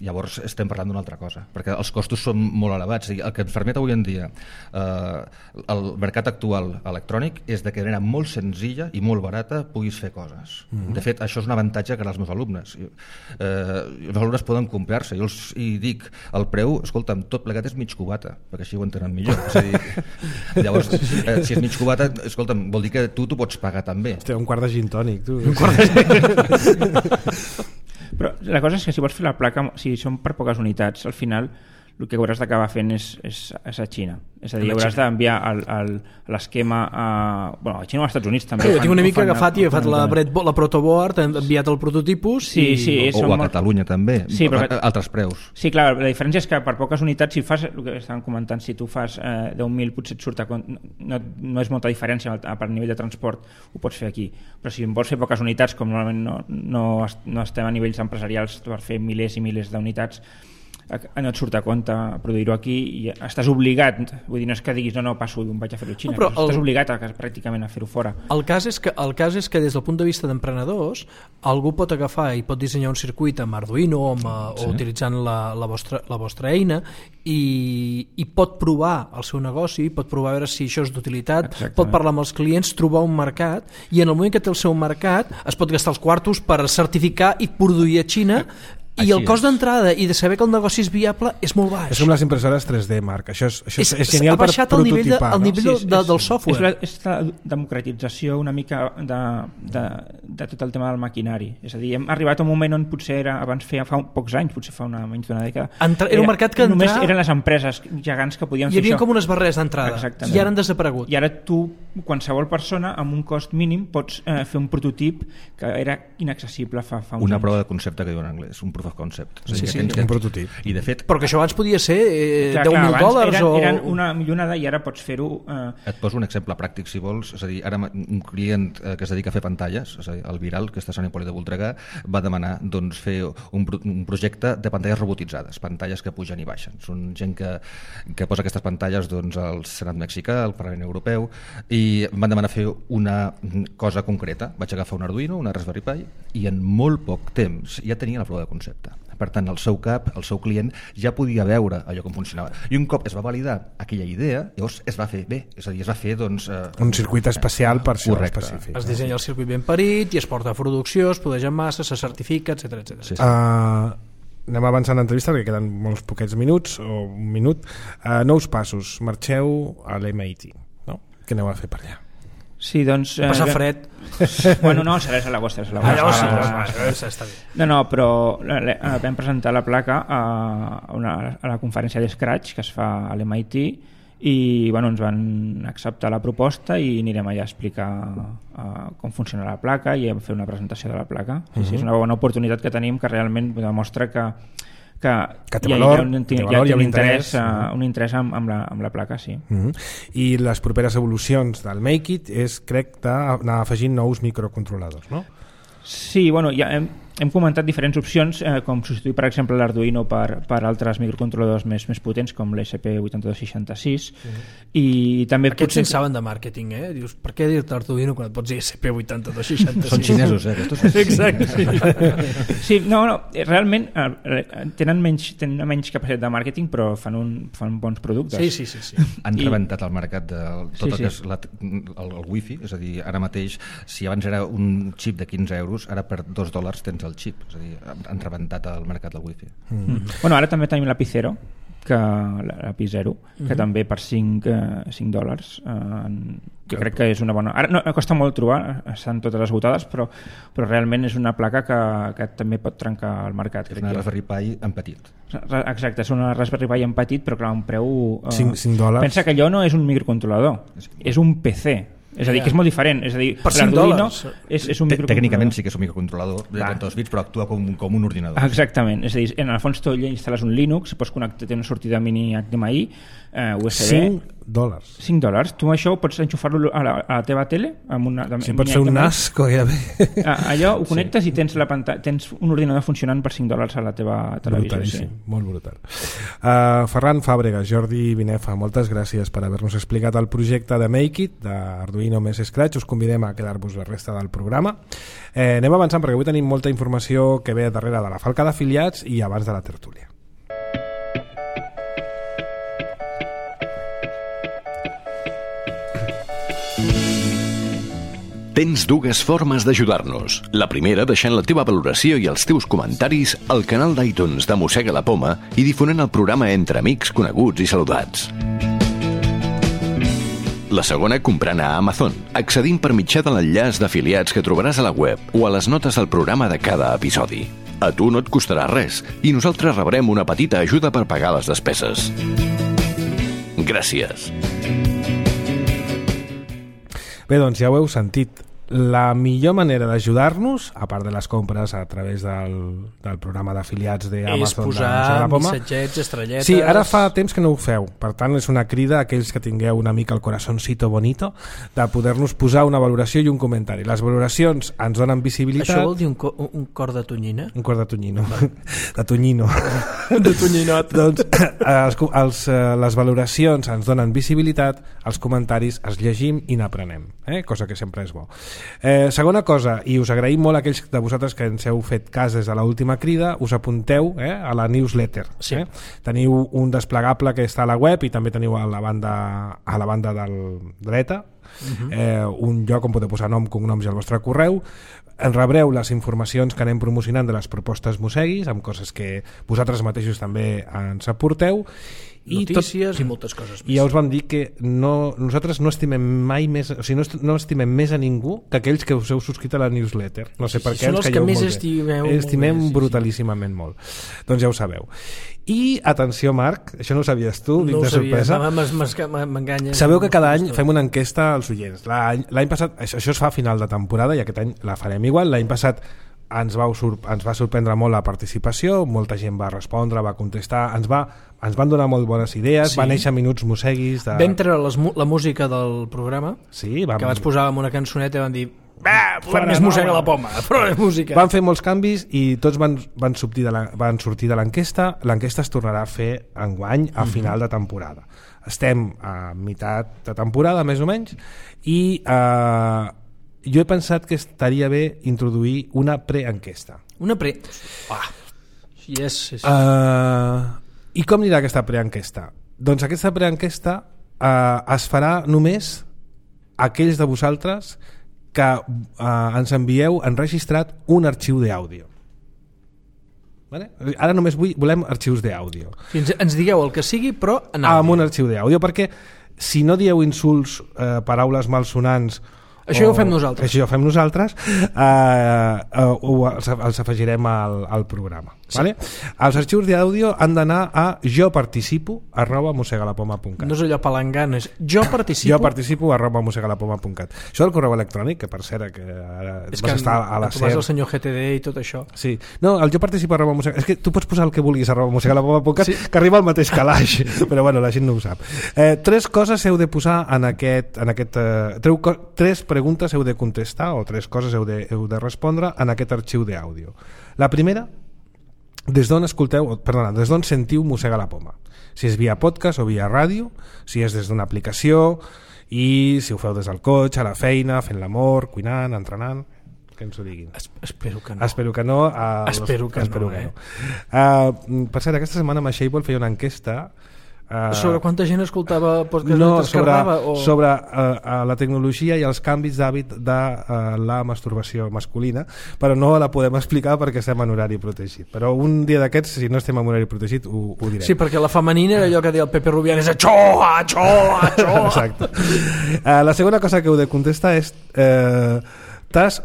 llavors estem parlant d'una altra cosa, perquè els costos són molt elevats. El que ens permet avui en dia el mercat actual electrònic és de que de manera molt senzilla i molt barata puguis fer coses. De fet, això és un avantatge que als meus alumnes. Els alumnes poden comprar-se. Jo els dic, el preu, escolta'm, tot plegat és mig cubata, perquè així ho entenen millor. És a dir, llavors, si és mig cubata, escolta'm, vol dir que tu t'ho pots pagar també. Hòstia, un quart de gin tònic, tu. Però la cosa és que si vols fer la placa, si són per poques unitats, al final el que hauràs d'acabar fent és a Xina. És a dir, hauràs d'enviar l'esquema a Xina o als Estats Units també. Jo tinc una mica agafat i he agafat la protoboard, he enviat el prototipus o a Catalunya també, altres preus. Sí, clar, la diferència és que per poques unitats, si fas el que estàvem comentant, si tu fas 10.000 potser et surt no és molta diferència per nivell de transport, ho pots fer aquí, però si vols fer poques unitats, com normalment no estem a nivells empresarials per fer milers i milers d'unitats, no et surt a compte produir-ho aquí i estàs obligat, vull dir, no és que diguis no, passo i vaig a fer-ho a Xina, però estàs obligat pràcticament a fer-ho fora. El cas és que des del punt de vista d'emprenedors algú pot agafar i pot dissenyar un circuit amb Arduino o utilitzant la vostra eina i pot provar el seu negoci, pot provar a veure si això és d'utilitat. Exactament. Pot parlar amb els clients, trobar un mercat, i en el moment que té el seu mercat es pot gastar els quartos per certificar i produir a Xina. I el cost d'entrada i de saber que el negoci és viable és molt baix. És com les impressores 3D, Marc. Això és genial per prototipar. El nivell del software. És la democratització una mica de tot el tema del maquinari. És a dir, hem arribat a un moment on potser abans fa pocs anys, potser fa menys d'una dècada, era un mercat que només eren les empreses gegants que podien fer això. Hi havia com unes barreres d'entrada i ara han desaparegut. I ara tu, qualsevol persona, amb un cost mínim pots fer un prototip que era inaccessible fa uns anys. Una prova de concepte que diuen en anglès, un proof of concept. Un prototip. I de fet, però que això abans podia ser $10.000 eren una millonada i ara pots fer-ho... Et poso un exemple pràctic, si vols. És a dir, ara un client que es dedica a fer pantalles, és a dir, el Viral, que està a Sant Hipòlit de Voltregà, va demanar doncs, fer un projecte de pantalles robotitzades, pantalles que pugen i baixen. Són gent que posa aquestes pantalles doncs, al Senat mexicà, al Parlament Europeu, i i em van demanar fer una cosa concreta. Vaig agafar un Arduino, una Raspberry Pi, i en molt poc temps ja tenia la prova de concepte. Per tant, el seu cap, el seu client, ja podia veure allò com funcionava. I un cop es va validar aquella idea, llavors es va fer bé. És a dir, es va fer un circuit especial per això específic. Es dissenya el circuit ben parit i es porta a producció, es produeix en massa, se certifica, etc. Sí. Anem avançant l'entrevista perquè queden molts poquets minuts o un minut. Nous passos, marxeu a l'MIT, no? Què aneu a fer per allà? Sí, doncs... Passa fred. Bueno, no, serà a l'agost. Llavors està bé. No, però vam presentar la placa a la conferència d'Scratch que es fa a l'MIT i bueno, ens van acceptar la proposta i anirem allà a explicar com funciona la placa i a fer una presentació de la placa. Sí, és una bona oportunitat que tenim que realment demostra que té valor, hi ha un interès amb la placa, sí. I les properes evolucions del Make-It és, crec, d'anar afegint nous microcontroladors, no? Sí, bueno, ja hem comentat diferents opcions, com substituir, per exemple, l'Arduino per altres microcontroladors més potents, com l'ESP8266, i també... Aquests en saben de màrqueting, eh? Dius, per què dir-te Arduino quan et pots dir ESP8266? Són xinesos, Aquests Exacte, sí. Sí, no, realment tenen menys capacitat de màrqueting, però fan bons productes. Sí. Han rebentat el mercat de tot el que és el Wi-Fi, és a dir, ara mateix, si abans era un xip de 15 euros, ara per $2 tens el xip, és a dir, han rebentat el mercat del Wi-Fi. Bueno, ara també tenim l'API Zero, l'API Zero, que també per $5 jo crec que és una bona... Ara no, costa molt trobar, estan totes esgotades, però realment és una placa que també pot trencar el mercat. És una Raspberry Pi en petit. Exacte, és una Raspberry Pi en petit, però clar, un preu... $5. Pensa que allò no és un microcontrolador, és un PC. És a dir, que és molt diferent. És a dir, per $5 és un tècnicament sí que és un microcontrolador de 32 bits, però actua com un ordinador. Exactament. És a dir, en el fons tu instal·les un Linux, pots connectar, té una sortida mini HDMI, USB. $5. Tu això pots enxufar-lo a la teva tele amb una... Sí, pot ser un NAS, allò ho connectes i tens la pantalla, tens un ordinador funcionant per $5 a la teva televisió. Brutalíssim, molt brutal. Ferran Fàbregas, Jordi Binefa, moltes gràcies per haver-nos explicat el projecte de Make-It, d'Arduino més Scratch. Us convidem a quedar-vos la resta del programa. Anem avançant perquè avui tenim molta informació que ve darrere de la falca d'afiliats i abans de la tertúlia. Tens dues formes d'ajudar-nos. La primera, deixant la teva valoració i els teus comentaris al canal d'iTunes de Mossega la Poma i difonent el programa entre amics, coneguts i saludats. La segona, comprant a Amazon, accedint per mitjà de l'enllaç d'afiliats que trobaràs a la web o a les notes del programa de cada episodi. A tu no et costarà res i nosaltres rebrem una petita ajuda per pagar les despeses. Gràcies. Bé, doncs ja ho heu sentit. La millor manera d'ajudar-nos, a part de les compres a través del programa d'afiliats d'Amazon, és posar missatgets, estrelletes... Sí, ara fa temps que no ho feu. Per tant, és una crida a aquells que tingueu una mica el corazoncito bonito de poder-nos posar una valoració i un comentari. Les valoracions ens donen visibilitat... Això vol dir un cor de tonyina? Un cor de tonyino. De tonyino. De tonyinet. Doncs les valoracions ens donen visibilitat, els comentaris els llegim i n'aprenem, cosa que sempre és bo. Segona cosa, i us agraïm molt a aquells de vosaltres que ens heu fet cas des de l'última crida, us apunteu a la newsletter. Sí. Teniu un desplegable que està a la web i també teniu a la banda del dreta un lloc on podeu posar nom, cognoms i el vostre correu. En rebreu les informacions que anem promocionant de les propostes Mosseguis, amb coses que vosaltres mateixos també ens aporteu, notícies i moltes coses més. I ja us vam dir que nosaltres no estimem mai més, o sigui, no estimem més a ningú que aquells que us heu subscrit a la newsletter. No sé per què ens calleu molt bé. Estimem brutalíssimament molt. Doncs ja ho sabeu. I atenció, Marc, això no ho sabies tu, no de sorpresa. M'enganya. Sabeu que cada any fem una enquesta als oients. L'any passat, això es fa a final de temporada i aquest any la farem igual. L'any passat ens va sorprendre molt la participació, molta gent va respondre, va contestar, ens van donar molt bones idees, va néixer Minuts Mosseguis vam treure la música del programa, sí, que vaig posar amb una cançoneta i vam dir Més mossega la poma, però és música. Van fer molts canvis i tots van sortir de l'enquesta. L'enquesta es tornarà a fer enguany a final de temporada. Estem a meitat de temporada, més o menys, i jo he pensat que estaria bé introduir una preenquesta. Una pre... Yes. I com anirà aquesta preenquesta? Doncs aquesta preenquesta es farà només aquells de vosaltres que ens envieu enregistrat un arxiu d'àudio. Vale? Ara només volem arxius d'àudio. Ens digueu el que sigui, però en àudio. Amb un arxiu d'àudio, perquè si no dieu insults, paraules malsonants... Això ho fem nosaltres. Això ho fem nosaltres, els afegirem al programa. Sí. Vale? Els arxius d'àudio han d'anar a joparticipo@mossegalapoma.cat. No és allò palangant, és joparticipo@mossegalapoma.cat. Això del correu electrònic, que per cert que ara és vas que estar a la SER... el senyor GTD i tot això. Sí. No, el joparticipo@mossegalapoma.cat... És que tu pots posar el que vulguis @mossegalapoma.cat, sí, que arriba al mateix calaix, però bueno, la gent no ho sap. 3 coses heu de posar en aquest 3 preguntes heu de contestar, o 3 coses heu de respondre en aquest arxiu d'àudio. La primera, des d'on sentiu Mossega la Poma, si és via podcast o via ràdio, si és des d'una aplicació, i si ho feu des del cotxe, a la feina, fent l'amor, cuinant, entrenant, que ens ho diguin. Espero que no. Espero que no. Espero que no. Per cert, aquesta setmana Mashable feia una enquesta sobre quanta gent escoltava podcast, no, sobre la tecnologia i els canvis d'hàbit de la masturbació masculina, però no la podem explicar perquè estem en horari protegit, però un dia d'aquests, si no estem en horari protegit, ho direm. Sí, perquè la femenina era allò que deia el Pepe Rubianes, això. Exacte. La segona cosa que heu de contestar és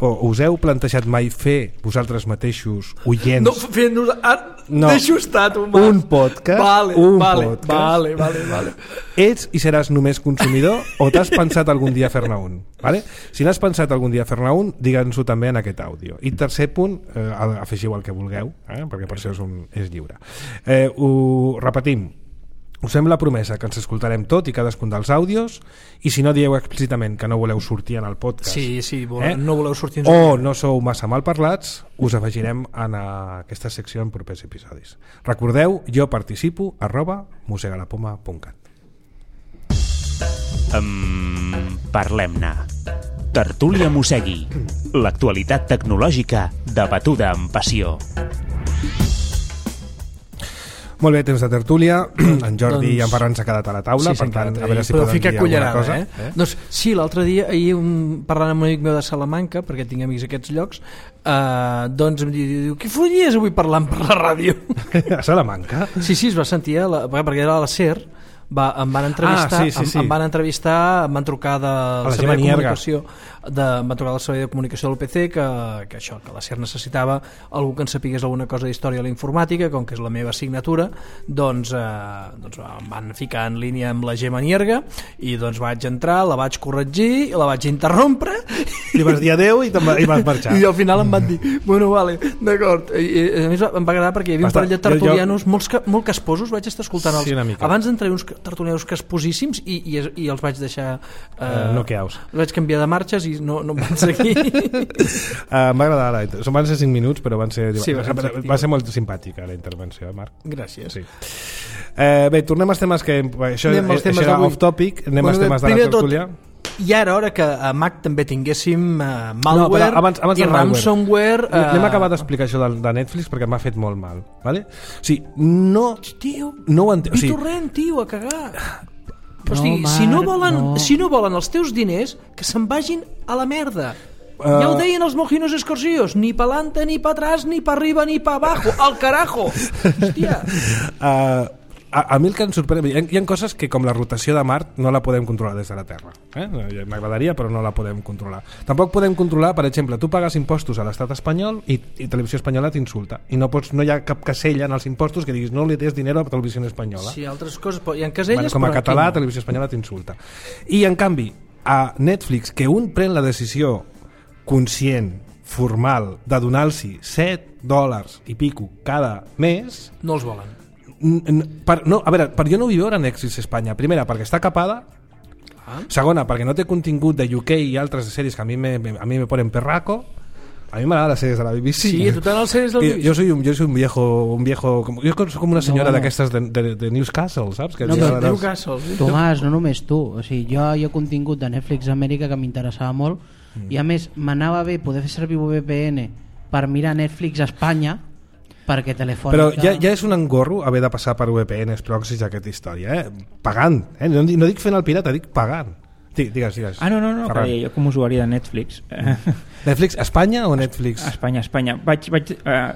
us heu plantejat mai fer vosaltres mateixos oients deixo estar tu, un podcast? Vale. Ets i seràs només consumidor o t'has pensat algun dia fer-ne un? Vale? Si n'has pensat algun dia fer-ne un, digue'ns-ho també en aquest àudio. I tercer punt, afegiu el que vulgueu, perquè per això és lliure. Ho repetim. Us fem la promesa que ens escoltarem tot i cadascun dels àudios, i si no dieu explícitament que no voleu sortir en el podcast, no voleu sortir o no sou massa mal parlats, us afegirem en aquesta secció en propers episodis. Recordeu, joparticipo@mossegalapoma.cat. Parlem-ne. Tertúlia Mossegui. L'actualitat tecnològica debatuda amb passió. Molt bé, temps de tertúlia. En Jordi i en Ferran s'ha quedat a la taula, per tant, a veure si poden dir alguna cosa. Doncs sí, l'altre dia, parlant amb un amic meu de Salamanca, perquè tinc amics a aquests llocs, doncs em diu, què folies avui parlant per la ràdio? A Salamanca? Sí, es va sentir, perquè era a la SER, em van entrevistar, em van trucar del servei de comunicació, em van trucar del servei de comunicació del PC que la SER necessitava algú que en sapigués alguna cosa d'història de la informàtica, com que és la meva assignatura, doncs em van ficar en línia amb la Gemma Nierga i doncs vaig entrar, la vaig corregir, la vaig interrompre, li vas dir adeu i vas marxar, i al final em van dir, bueno, vale, d'acord. I a més em va agradar perquè hi havia un parell de tertulianos molt casposos, vaig estar escoltant abans d'entrar uns tertulianos casposíssims i els vaig deixar noqueaus. Els vaig canviar de marxes i no em van seguir. Em va agradar, van ser 5 minuts, però va ser molt simpàtica la intervenció, Marc. Gràcies. Sí. Bé, tornem als temes que això era off topic, anem als temes de la tertúlia. I ara, hora que a Mac també tinguéssim malware i ransomware... Anem a acabar d'explicar això de Netflix perquè m'ha fet molt mal, vale? O sigui, no ho entenc. Torrent, tio, a cagar. O sigui, si no volen els teus diners, que se'n vagin a la merda. Ja ho deien els mojinos escorcios, ni pa'lante, ni pa atrás, ni pa arriba, ni pa abajo, al carajo. Hòstia. A mi el que em sorprèn, hi ha coses que com la rotació de Mart no la podem controlar des de la Terra, m'agradaria però no la podem controlar. Tampoc podem controlar, per exemple, tu pagues impostos a l'estat espanyol i Televisió Espanyola t'insulta i no hi ha cap casella en els impostos que diguis no li des dinero a Televisió Espanyola. Sí, altres coses, hi ha caselles, com a català Televisió Espanyola t'insulta. I en canvi a Netflix, que un pren la decisió conscient, formal, de donar-los $7 i pico cada mes, no els volen. A veure, per jo no vull veure Netflix a Espanya. Primera, perquè està capada, Segona, perquè no té contingut de UK i altres sèries que a mi me ponen perraco. A mi m'agrada les sèries de la BBC. Sí, a tu t'agraden les sèries del BBC? Yo soy un viejo jo soc com una senyora d'aquestes de Newcastle, saps? Que Newcastle. Tomàs, no només tu. O sigui, jo hi ha contingut de Netflix Amèrica que m'interessava molt i a més m'anava bé poder fer servir VPN per mirar Netflix a Espanya perquè Telefònica... Però ja és un engorro haver de passar per VPNs, proxys, aquesta història, pagant, no dic fent el pirata, dic pagant. Digues. No, jo com a usuari de Netflix... Netflix Espanya o Netflix? Espanya. Vaig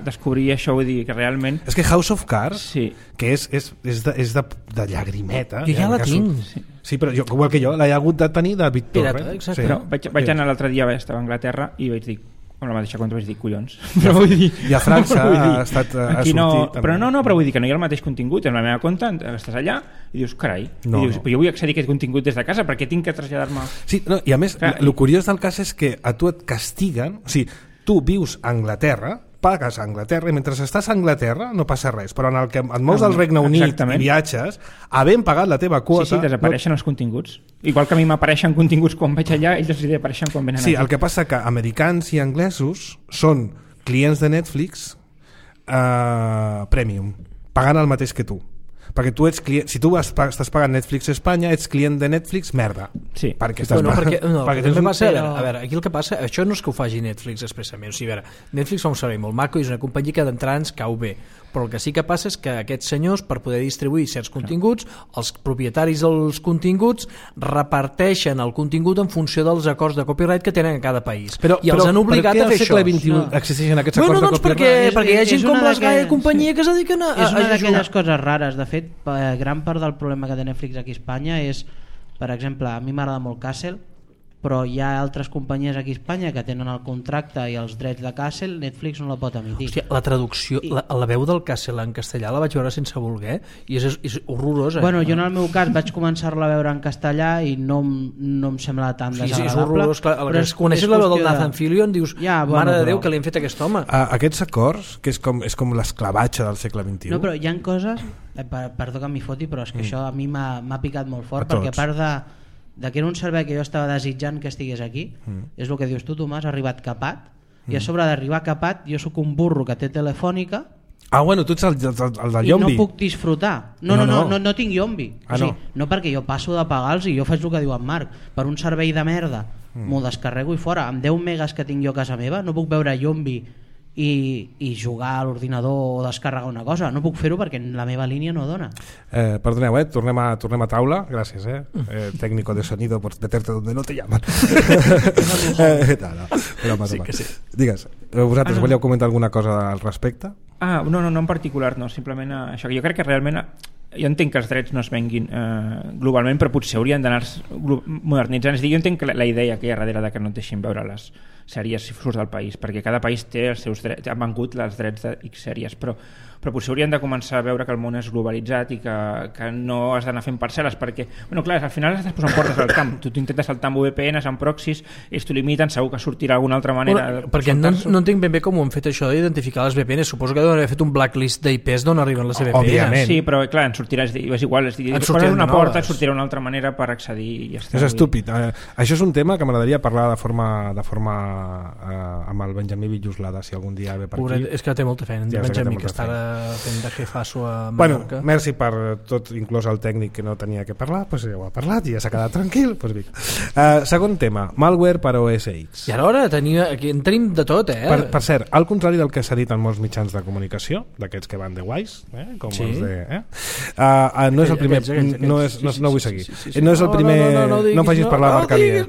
descobrir això, vull dir que realment... És que House of Cards, sí. Que és de llagrimeta... Jo ja la tinc. Sí, però igual que jo, l'he hagut de tenir de Víctor. Exacte. Sí. Però vaig anar l'altre dia, estava a Anglaterra i vaig dir, amb la mateixa compte vaig dir collons. Però vull dir, i a França ha sortit... Però però vull dir que no hi ha el mateix contingut en la meva compte, estàs allà i dius, carai, però jo vull accedir a aquest contingut des de casa perquè tinc que traslladar-me... Sí, i a més, el curiós del cas és que a tu et castiguen, o sigui, tu vius a Anglaterra, pagues a Anglaterra i mentre estàs a Anglaterra no passa res, però en el que et mous al Regne Unit i viatges, havent pagat la teva quota... Sí, desapareixen els continguts. Igual que a mi m'apareixen continguts quan vaig allà, ells els apareixen quan venen aquí. Sí, aquí. el que passa que americans i anglesos són clients de Netflix premium, pagant el mateix que tu. Perquè tu ets client, si tu estàs pagant Netflix a Espanya, ets client de Netflix, merda. Sí. Perquè estàs a veure, aquí el que passa, això no és que ho faci Netflix expressament, o sigui, a veure, Netflix fa un servei molt maco i és una companyia que d'entrada ens cau bé, però el que sí que passa és que aquests senyors, per poder distribuir certs continguts, els propietaris dels continguts reparteixen el contingut en funció dels acords de copyright que tenen a cada país. I els han obligat a fer això. Per què al segle XXI existeixen aquests acords de copyright? Perquè hi ha gent com les Gaia i companyia que es dediquen a és una d'aquelles coses rares. De fet, gran part del problema que té Netflix aquí a Espanya és, per exemple, a mi m'agrada molt Castle, però hi ha altres companyies aquí a Espanya que tenen el contracte i els drets de Castle, Netflix no la pot emitir. Hòstia, la traducció, la veu del Castle en castellà la vaig veure sense voler i és horrorós. Bueno, jo en el meu cas vaig començar-la a veure en castellà i no em sembla tan desagradable. Sí, és horrorós. Però coneixes la veu del Nathan Fillion, dius, mare de Déu, que li han fet a aquest home. Aquests acords, que és com l'esclavatge del segle XXI. No, però hi ha coses, perdó que m'hi foti, però és que això a mi m'ha picat molt fort, perquè a part de que era un servei que jo estava desitjant que estigués aquí, és el que dius tu, Tomàs, ha arribat capat, i a sobre d'arribar capat jo sóc un burro que té Telefònica. Bueno, tu ets el del Yombi. I no puc disfrutar. No tinc Yombi. No perquè jo passo de pagar-los i jo faig el que diu en Marc, per un servei de merda m'ho descarrego i fora. Amb 10 megas que tinc jo a casa meva no puc veure Yombi i jugar a l'ordinador o descarregar una cosa, no puc fer-ho perquè la meva línia no dona. Perdoneu, tornem a taula, gràcies, técnico de sonido por meterte donde no te llaman. Sí que sí. Digues, vosaltres volíeu comentar alguna cosa al respecte? No en particular, no, simplement això, que jo crec que realment jo entenc que els drets no es venguin globalment, però potser haurien d'anar modernitzant. És a dir, jo entenc la idea que hi ha darrere de que no et deixin veure les sèries si surts del país, perquè cada país té els seus drets, han vengut els drets de X sèries, però potser haurien de començar a veure que el món és globalitzat i que no has d'anar fent parcel·les, perquè, clar, al final estàs posant portes al camp, tu intentes saltar amb VPNs, amb proxys, ells t'ho limiten, segur que sortirà d'alguna altra manera. Perquè no entenc ben bé com ho han fet això d'identificar les VPNs, suposo que deuen haver fet un blacklist d'IPs d'on arriben les VPNs. Òbviament. Sí, però clar, en sortirà, és igual, poses una porta, et sortirà una altra manera per accedir i ja està. És estúpid. Això és un tema que m'agradaria parlar de forma amb el Benjamí Villuslada, si algun dia ve per aquí. És que té molta feina, en Benjamí, que està fent de jefasso a Bueno, Mallorca. merci per tot, inclús el tècnic que no tenia que parlar, doncs ja ho ha parlat i ja s'ha quedat tranquil. Segon tema, malware per OS X. I ara aquí en tenim de tot, Per cert, al contrari del que s'ha dit en molts mitjans de comunicació, d'aquests que van de guais, com els de... no és el primer... No vull seguir. No és el primer... No em facis parlar de Marc Alier.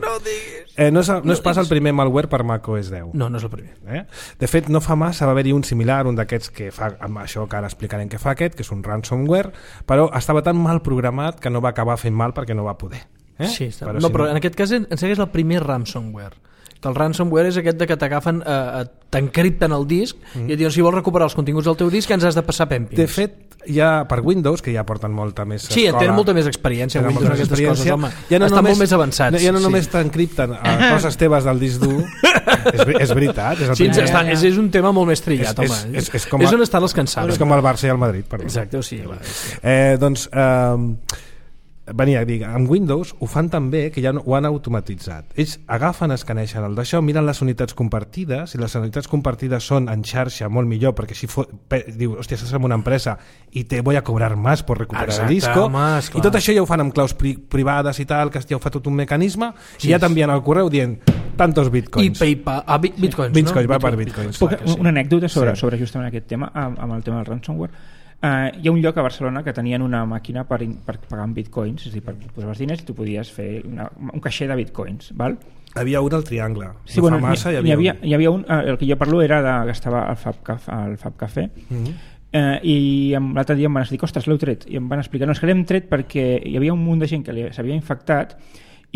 No és pas el primer malware per macOS 10. No és el primer. De fet, no fa massa va haver-hi un similar, un d'aquests que fa amb això que ara explicarem què fa aquest, que és un ransomware, però estava tan mal programat que no va acabar fent mal perquè no va poder. Sí, però en aquest cas en segueix el primer ransomware. Que el ransomware és aquest de que t'agafen, t'encripten el disc i et diuen si vols recuperar els continguts del teu disc ens has de passar pèmpings. De fet, ja per Windows, que ja porten molta més escola... Sí, tenen molta més experiència Windows en aquestes coses, home. Estan molt més avançats. Ja no només t'encripten coses teves del disc dur, és veritat. És un tema molt més trillat, home. És on estan les cansades. És com el Barça i el Madrid, perdó. Exacte, o sigui... Doncs... venia a dir, amb Windows ho fan tan bé que ja ho han automatitzat. Ells agafen, escaneixen el d'això, miren les unitats compartides, i les unitats compartides són en xarxa molt millor, perquè si diu, hòstia, estàs en una empresa i te voy a cobrar más por recuperar el disco, i tot això ja ho fan amb claus privades i tal, que ja ho fa tot un mecanisme, i ja t'envien al correu dient tantos bitcoins. I PayPal, bitcoins, no? Bitcoins, va per bitcoins. Una anècdota sobre justament aquest tema, amb el tema del ransomware. Hi ha un lloc a Barcelona que tenien una màquina per pagar amb bitcoins, és a dir, per posar els diners i tu podies fer un caixer de bitcoins, val? Hi havia un al Triangle. Sí, bueno, hi havia un, el que jo parlo era que estava al Fab Café, i l'altre dia em van dir, ostres, l'heu tret, i em van explicar, no, és que l'hem tret perquè hi havia un munt de gent que s'havia infectat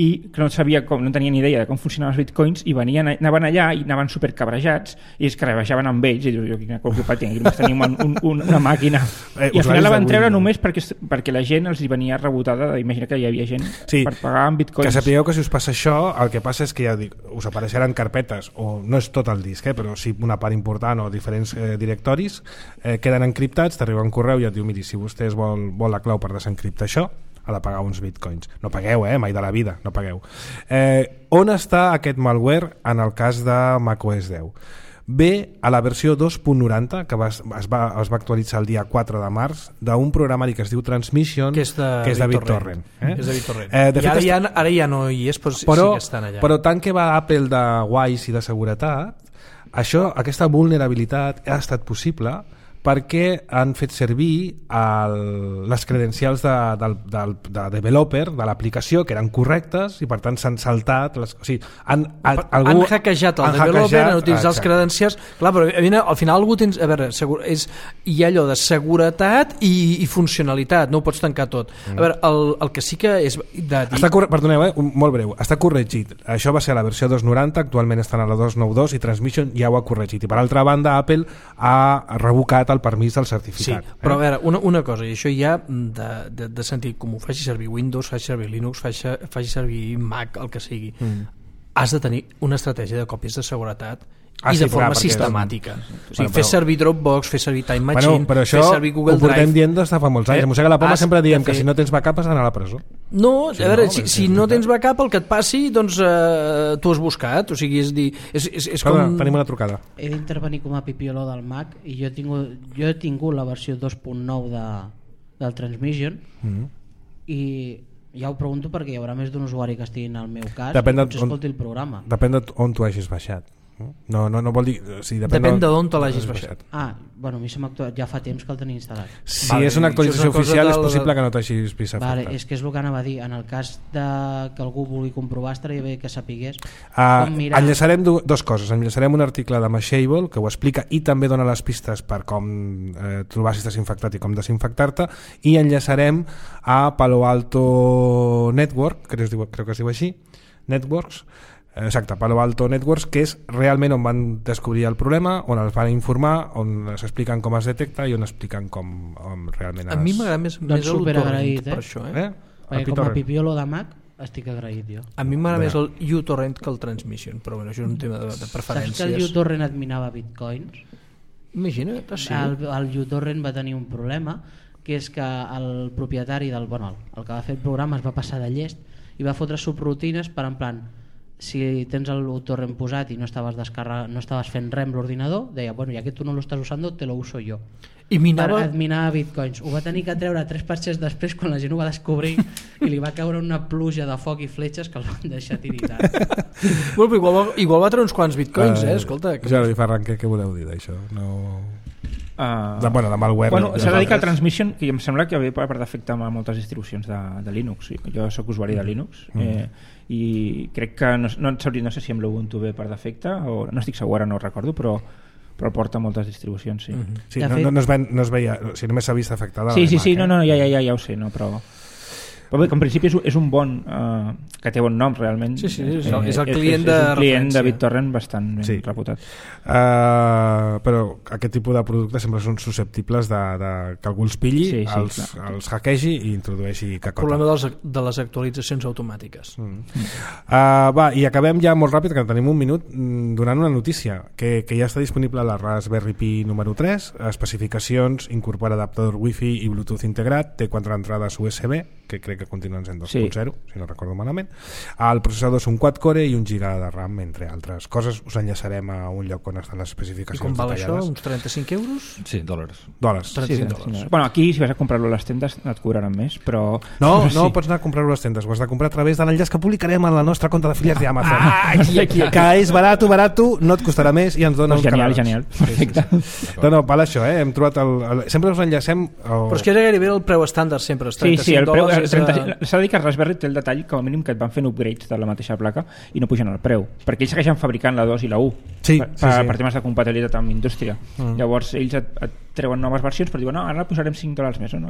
i que no sabia no tenia ni idea de com funcionaven els bitcoins i anaven allà i anaven supercabrejats i es carregaven amb ells i dius, jo quina culpa tinc, només tenim una màquina i al final la van treure només perquè la gent els hi venia rebotada d'imagina que hi havia gent per pagar amb bitcoins. Que sapigueu que si us passa això, el que passa és que ja dic, us apareixeran carpetes, o no és tot el disc, però sí una part important o diferents directoris queden encriptats, t'arriba un correu i et diu, miri, si vostès vol la clau per desencriptar això, ha de pagar uns bitcoins. No pagueu, mai de la vida, no pagueu. On està aquest malware en el cas de macOS 10? Ve a la versió 2.90, que es va actualitzar el dia 4 de març, d'un programari que es diu Transmission, que és de BitTorrent. És de BitTorrent. Ara ja no hi és, però sí que estan allà. Però tant que va Apple de guais i de seguretat, aquesta vulnerabilitat ha estat possible perquè han fet servir les credencials de developer de l'aplicació, que eren correctes, i per tant s'han saltat han hackejat el developer, han utilitzat els credencials. Clar, però al final algú tens, a veure, hi ha allò de seguretat i funcionalitat, no ho pots tancar tot. A veure, el que sí que és de dir... Perdoneu, molt breu, està corregit. Això va ser a la versió 2.90, actualment estan a la 2.92 i Transmission ja ho ha corregit. I per altra banda, Apple ha revocat el permís del certificat. Sí, però a veure, una cosa, i això ja de sentit comú, faci servir Windows, faci servir Linux, faci servir Mac, el que sigui, has de tenir una estratègia de còpies de seguretat i de forma sistemàtica. Fer servir Dropbox, fer servir Time Machine, fer servir Google Drive. Ho portem dient des de fa molts anys. Mossega la Poma sempre diem que si no tens backup has d'anar a la presó. No, a veure, si no tens backup, el que et passi, doncs tu has buscat. O sigui, és dir... Tenim una trucada. He d'intervenir com a pipioló del Mac i jo he tingut la versió 2.9 del Transmission i ja ho pregunto perquè hi haurà més d'un usuari que estigui en el meu cas i potser escolti el programa. Depèn d'on tu hagis baixat. No vol dir... Depèn d'on te l'hagis baixat. Bueno, a mi ja fa temps que el tenia instal·lat. Si és una actualització oficial és possible que no t'hagis vist afectat. És que és el que anava a dir. En el cas que algú vulgui comprovar, estaria bé que sapigués com mirar... Enllaçarem dues coses. Enllaçarem un article de Mashable que ho explica i també dona les pistes per com trobar si estàs infectat i com desinfectar-te, i enllaçarem a Palo Alto Network, crec que es diu així, Networks, exacte, Palo Alto Networks, que és realment on van descobrir el problema, on els van informar, on s'expliquen com es detecta i on expliquen com realment a mi m'agrada més el uTorrent per això, perquè com a pipiolo de Mac estic agraït jo. A mi m'agrada més el uTorrent que el Transmission, però bueno, això és un tema de preferències. Saps que el uTorrent et minava bitcoins? Imagina't, sí. El uTorrent va tenir un problema, que és que el propietari el que va fer el programa es va passar de llest i va fotre subrutines per en plan, si tens el uTorrent posat i no estaves fent res amb l'ordinador, deia, bueno, ja que tu no lo estás usando, te lo uso yo. I minava bitcoins. Ho va tenir que treure 3 patxes després quan la gent ho va descobrir i li va caure una pluja de foc i fletxes que el van deixar tiritar. Igual va treure uns quants bitcoins, escolta. Jordi Ferran, què voleu dir d'això? De malware. S'ha de dir que el Transmission, que em sembla que ve per defecte amb moltes distribucions de Linux. Jo soc usuari de Linux i crec que no sé si amb l'Ubuntu ve per defecte o no estic segur, ara no ho recordo, però porta moltes distribucions, sí. Sí, no es veia, si només s'ha vist afectada. Sí, ja ho sé, no, però bé, que en principi és un bon que té bon nom realment. Sí, és el client de referència. És un client de BitTorrent bastant ben reputat. Però aquest tipus de productes sempre són susceptibles que algú els pilli, els hackegi i introdueixi cacota. El problema de les actualitzacions automàtiques. I acabem ja molt ràpid, que tenim un minut, donant una notícia que ja està disponible a la Raspberry Pi número 3, especificacions, incorpora adaptador Wi-Fi i Bluetooth integrat, té 4 entrades USB, que crec crec que continuen sent 2.0, si no recordo malament. El processador és un quad-core i 1 GB de RAM, entre altres coses. Us enllaçarem a un lloc on estan les especificacions detallades. I com val detallades. això? Uns 35 euros? Sí, dòlars. 35 dòlars. Bueno, aquí si vas a comprar-lo a les tendes et cobraran més, però... No, pots anar a comprar-ho a les tendes, ho has de comprar a través de l'enllaç que publicarem a la nostra compte d'afiliats d'Amazon. Que és barat, no et costarà més i ens dona uns canals. Genial, perfecte. No, val això, hem trobat sempre us enllacem... Però és que era gairebé el preu estàndard sempre, els 35 sí, el preu, dòlars... S'ha de dir que Raspberry té el detall com a mínim que et van fent upgrades de la mateixa placa i no pugen el preu, perquè ells segueixen fabricant la 2 i la 1 per temes de compatibilitat amb indústria. Llavors ells et treuen noves versions però diuen, no, ara posarem $5 més, no?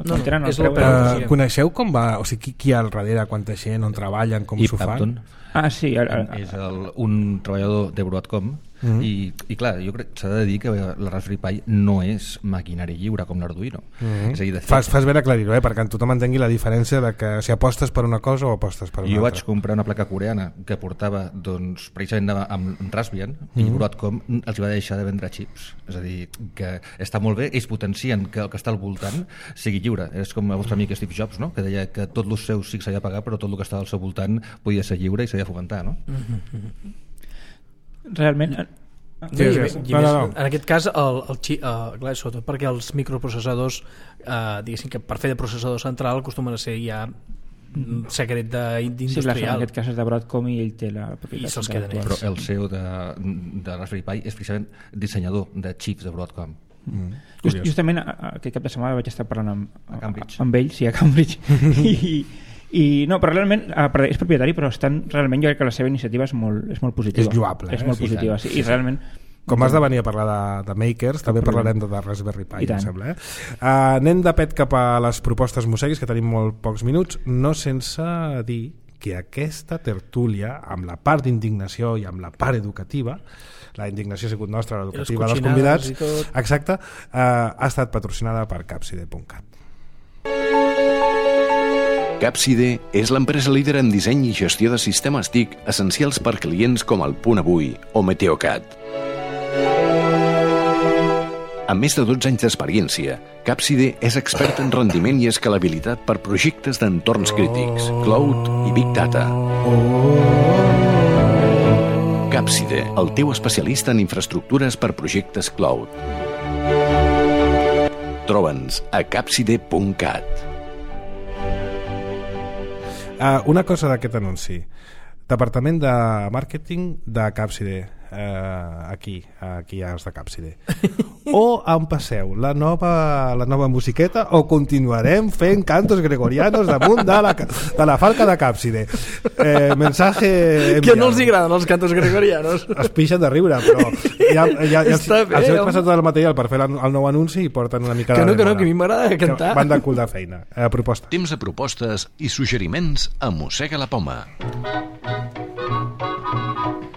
És el preu. Coneixeu com va, o sigui, qui hi ha al darrere, quanta gent, on treballen, com s'ho fan? Sí. És un treballador de Broadcom i clar, jo crec que s'ha de dir que la Raspberry Pi no és maquinari lliure com l'Arduino. És a dir, de fet, fas bé d'aclarir-ho, perquè tothom entengui la diferència de que si apostes per una cosa o apostes per una altra. Jo vaig comprar una placa coreana que portava precisament amb Raspbian i Broadcom els va deixar de vendre xips. És a dir, que està molt bé, ells potencien que el que està al voltant sigui lliure. És com el vostre amic Steve Jobs, no? Que deia que tot el seu sí que s'havia de pagar però tot el que estava al seu voltant podia ser lliure i s'havia de fomentar, no? Realment en aquest cas clar, sobretot perquè els microprocessadors diguéssim que per fer de processador central acostumen a ser ja secret d'industrial. Sí, en aquest cas és de Broadcom i ell té la propietat. I se'ls queden ells. Però el CEO de Raspberry Pi és precisament dissenyador de xips de Broadcom. Justament aquest cap de setmana vaig estar parlant Cambridge. amb ell, sí, a Cambridge i no, però realment és propietari, però realment jo crec que la seva iniciativa és molt positiva. És lloable. És molt positiva, sí. I realment com has de venir a parlar de makers, també parlarem de Raspberry Pi, em sembla. Anem de pet cap a les propostes musseguis, que tenim molt pocs minuts, no sense dir que aquesta tertúlia, amb la part d'indignació i amb la part educativa, la indignació ha sigut nostra, l'educativa dels convidats, exacte, ha estat patrocinada per Capside.cat. Capside és l'empresa líder en disseny i gestió de sistemes TIC essencials per clients com el Punt Avui o Meteocat. Amb més de 12 anys d'experiència, Capside és expert en rendiment i escalabilitat per projectes d'entorns crítics, cloud i big data. Capside, el teu especialista en infraestructures per projectes cloud. Troba'ns a capside.cat. Una cosa d'aquest anunci. Departament de màrqueting de Capside. Aquí hi ha els de Capside. O em passeu la nova musiqueta o continuarem fent cantos gregorianos damunt de la falca de Capside. Mensaje enviado. Que no els agraden els cantos gregorianos. Es pixen de riure, però els he passat tot el material per fer el nou anunci i porten una mica de... Que a mi m'agrada cantar. Van de cul de feina. Proposta. Temps de propostes i suggeriments a Mossega la Poma.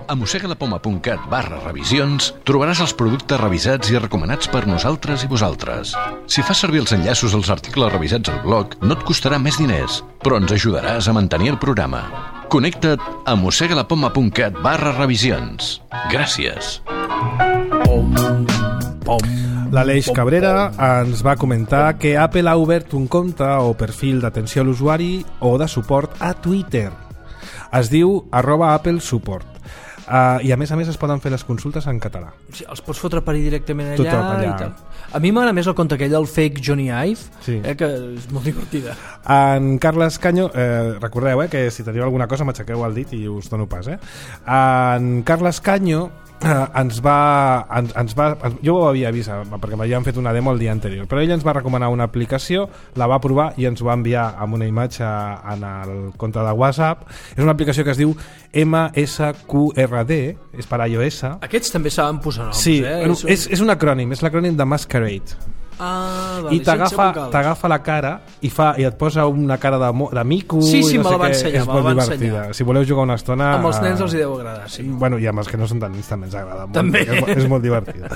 A mossegalapoma.cat/revisions trobaràs els productes revisats i recomanats per nosaltres i vosaltres. Si fas servir els enllaços als articles revisats al blog, no et costarà més diners, però ens ajudaràs a mantenir el programa. Connecta't a mossegalapoma.cat/revisions. Gràcies. L'Aleix Cabrera ens va comentar que Apple ha obert un compte o perfil d'atenció a l'usuari o de suport a Twitter. Es diu @AppleSupport. I a més es poden fer les consultes en català. Sí, els pots fotre per allà directament allà. I tal. A mi m'agrada més el conte aquell del fake Johnny Ive, sí. Que és molt divertida. En Carles Canyo, recordeu que si teniu alguna cosa m'aixequeu el dit i us dono pas. En Carles Canyo jo ho havia vist perquè m'havien fet una demo el dia anterior, però ell ens va recomanar una aplicació, la va provar i ens ho va enviar amb una imatge en el compte de WhatsApp. És una aplicació que es diu MSQRD, és per iOS. Aquests també saben posar noms. Sí, és un acrònim, és l'acrònim de Masquerade. I t'agafa la cara i et posa una cara de mico. Sí, no me la va ensenyar. És molt divertida. Si voleu jugar una estona amb els nens els hi deu agradar, sí. Bueno, i amb els que no són tan nens també ens agrada molt, també. És molt divertida.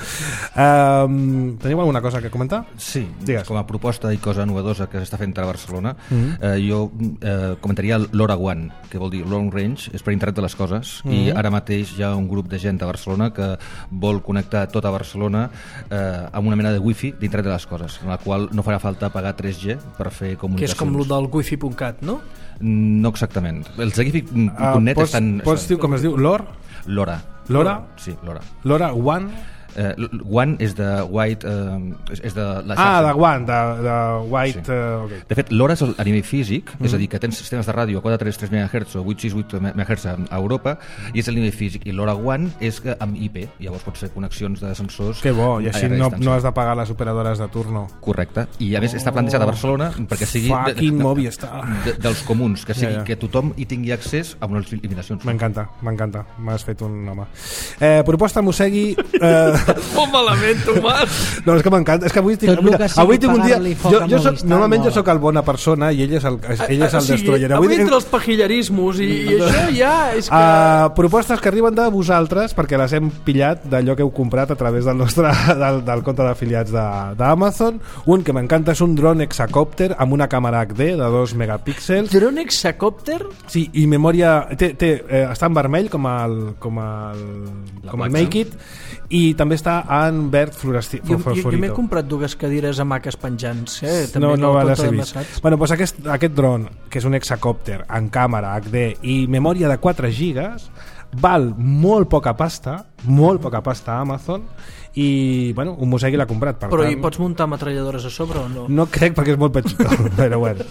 Teniu alguna cosa que comentar? Sí, digues. Com a proposta i cosa novedosa que s'està fent a Barcelona, jo comentaria l'LoRaWAN, que vol dir Long Range, és per internet de les coses, i ara mateix hi ha un grup de gent a Barcelona que vol connectar tota Barcelona amb una mena de wifi d'internet de les coses, en la qual no farà falta pagar 3G per fer comunicacions. Que és com el del wifi.cat, no? No exactament. Els de wifi.net estan... Pots dir com es diu? LoRa. LoRa? Sí, LoRa. LoRa One? One és de White... és de la xarxa. De One, de White... Sí. Okay. De fet, LoRa és a nivell físic, és a dir, que tens sistemes de ràdio a 433 MHz o 868 MHz a Europa, i és el nivell físic. I LoRa One és amb IP, llavors pots fer connexions de sensors... Que bo, i així no has de pagar les operadores de turno. Correcte, i a més està plantejat a Barcelona perquè sigui dels comuns, que sigui que tothom hi tingui accés amb unes limitacions. M'encanta, m'has fet un home. Proposta Mossegui... Molt malament, Tomàs. No, és que m'encanta, és que avui tinc un dia... Normalment jo sóc el bona persona i ell és el destroyer. Avui entre els pajillerismos i això ja és que... Propostes que arriben de vosaltres perquè les hem pillat d'allò que heu comprat a través del compte d'afiliats d'Amazon. Un que m'encanta és un dron hexacòpter amb una càmera HD de 2 megapíxels. Dron hexacòpter? Sí, i memòria... està en vermell com el Make It, i també està en verd fluorescent. Jo m'he comprat 2 cadires hamaques penjants, també no va ser vist. Bueno, doncs aquest dron, que és un hexacòpter en càmera HD i memòria de 4 gigas, val molt poca pasta a Amazon, i bueno, un Mossegui l'ha comprat, però hi pots muntar metralladores a sobre o no? No crec, perquè és molt petitó. Però bueno.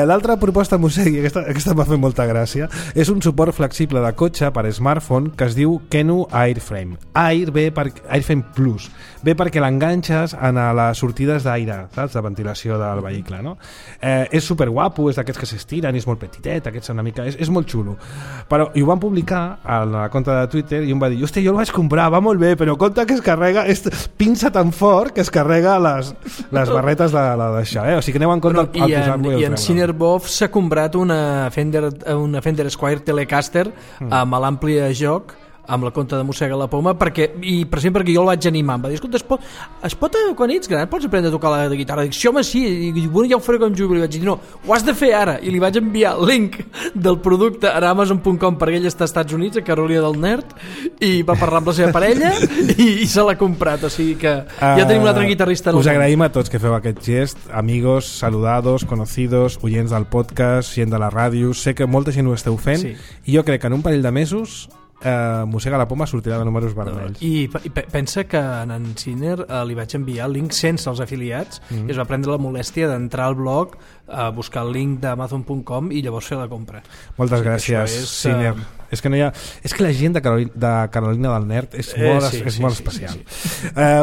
L'altra proposta Mossegui, aquesta m'ha fet molta gràcia, és un suport flexible de cotxe per smartphone que es diu Kenu Airframe. Airframe Plus ve perquè l'enganxes a les sortides d'aire, saps? De ventilació del vehicle, no? És superguapo, és d'aquests que s'estiren, és molt petitet, és molt xulo, però i ho van publicar a la compte de Twitter i em va dir, hòstia, jo el vaig comprar, va molt bé, però compte que es carrega, pinça tan fort que es carrega les barretes d'això, o sigui que aneu en compte al posar-lo i en Cinerbov s'ha comprat una Fender Squier Telecaster amb l'ampli joc amb la compte de Mossega la Poma, perquè jo el vaig animar, em va dir, escolta, es pot quan ets gran pots aprendre a tocar la guitarra? Dic, sí, home, sí, i bueno, ja ho faré quan jugui. Li vaig dir, no, ho has de fer ara, i li vaig enviar el link del producte a Amazon.com perquè ell està als Estats Units, a Carolina del Nord, i va parlar amb la seva parella i se l'ha comprat, o sigui que ja tenim un altre guitarrista. Us agraïm a tots que feu aquest gest, amigos, saludados, conocidos, oients del podcast, gent de la ràdio, sé que molta gent ho esteu fent, i jo crec que en un parell de mesos Mossega la Poma sortirà de números vermells. I pensa que en Ciner li vaig enviar el link sense els afiliats i es va prendre la molèstia d'entrar al blog, buscar el link d'Amazon.com i llavors fer la compra. Moltes gràcies, Ciner. És que la gent de Carolina del Nord és molt especial.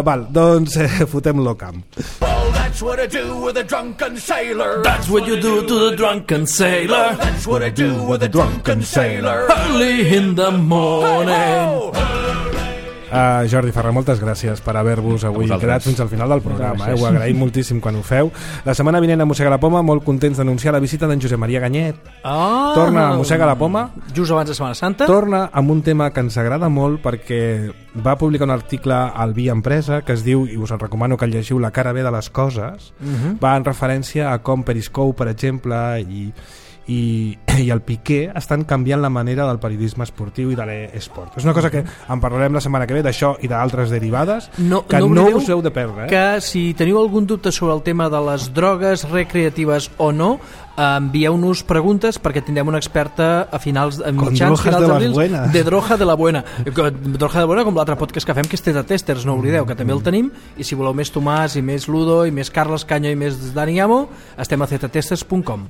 Val, doncs fotem-lo camp. Well, that's what I do with a drunken sailor. That's what you do to the drunken sailor. That's what I do with a drunken sailor. Early in the morning. Jordi Ferrer, moltes gràcies per haver-vos avui quedat fins al final del programa, ho agraïm moltíssim quan ho feu. La setmana vinent a Mossega la Poma, molt contents d'anunciar la visita d'en Josep Maria Ganyet. Torna a Mossega la Poma just abans de Setmana Santa. Torna amb un tema que ens agrada molt perquè va publicar un article al Via Empresa que es diu, i us el recomano que el llegiu, La cara B de les coses. Va en referència a com Periscope, per exemple, i el Piqué estan canviant la manera del periodisme esportiu i de l'esport. És una cosa que en parlarem la setmana que ve, d'això i d'altres derivades, que no us heu de perdre. Que si teniu algun dubte sobre el tema de les drogues recreatives o no, envieu-nos preguntes perquè tindrem una experta a finals d'abril de Droga de la Buena. Droga de la Buena, com l'altre podcast que fem, que és Teta Testers, no oblideu, que també el tenim, i si voleu més Tomàs i més Ludo i més Carles Canyo i més Dani Amo, estem a zetatesters.com.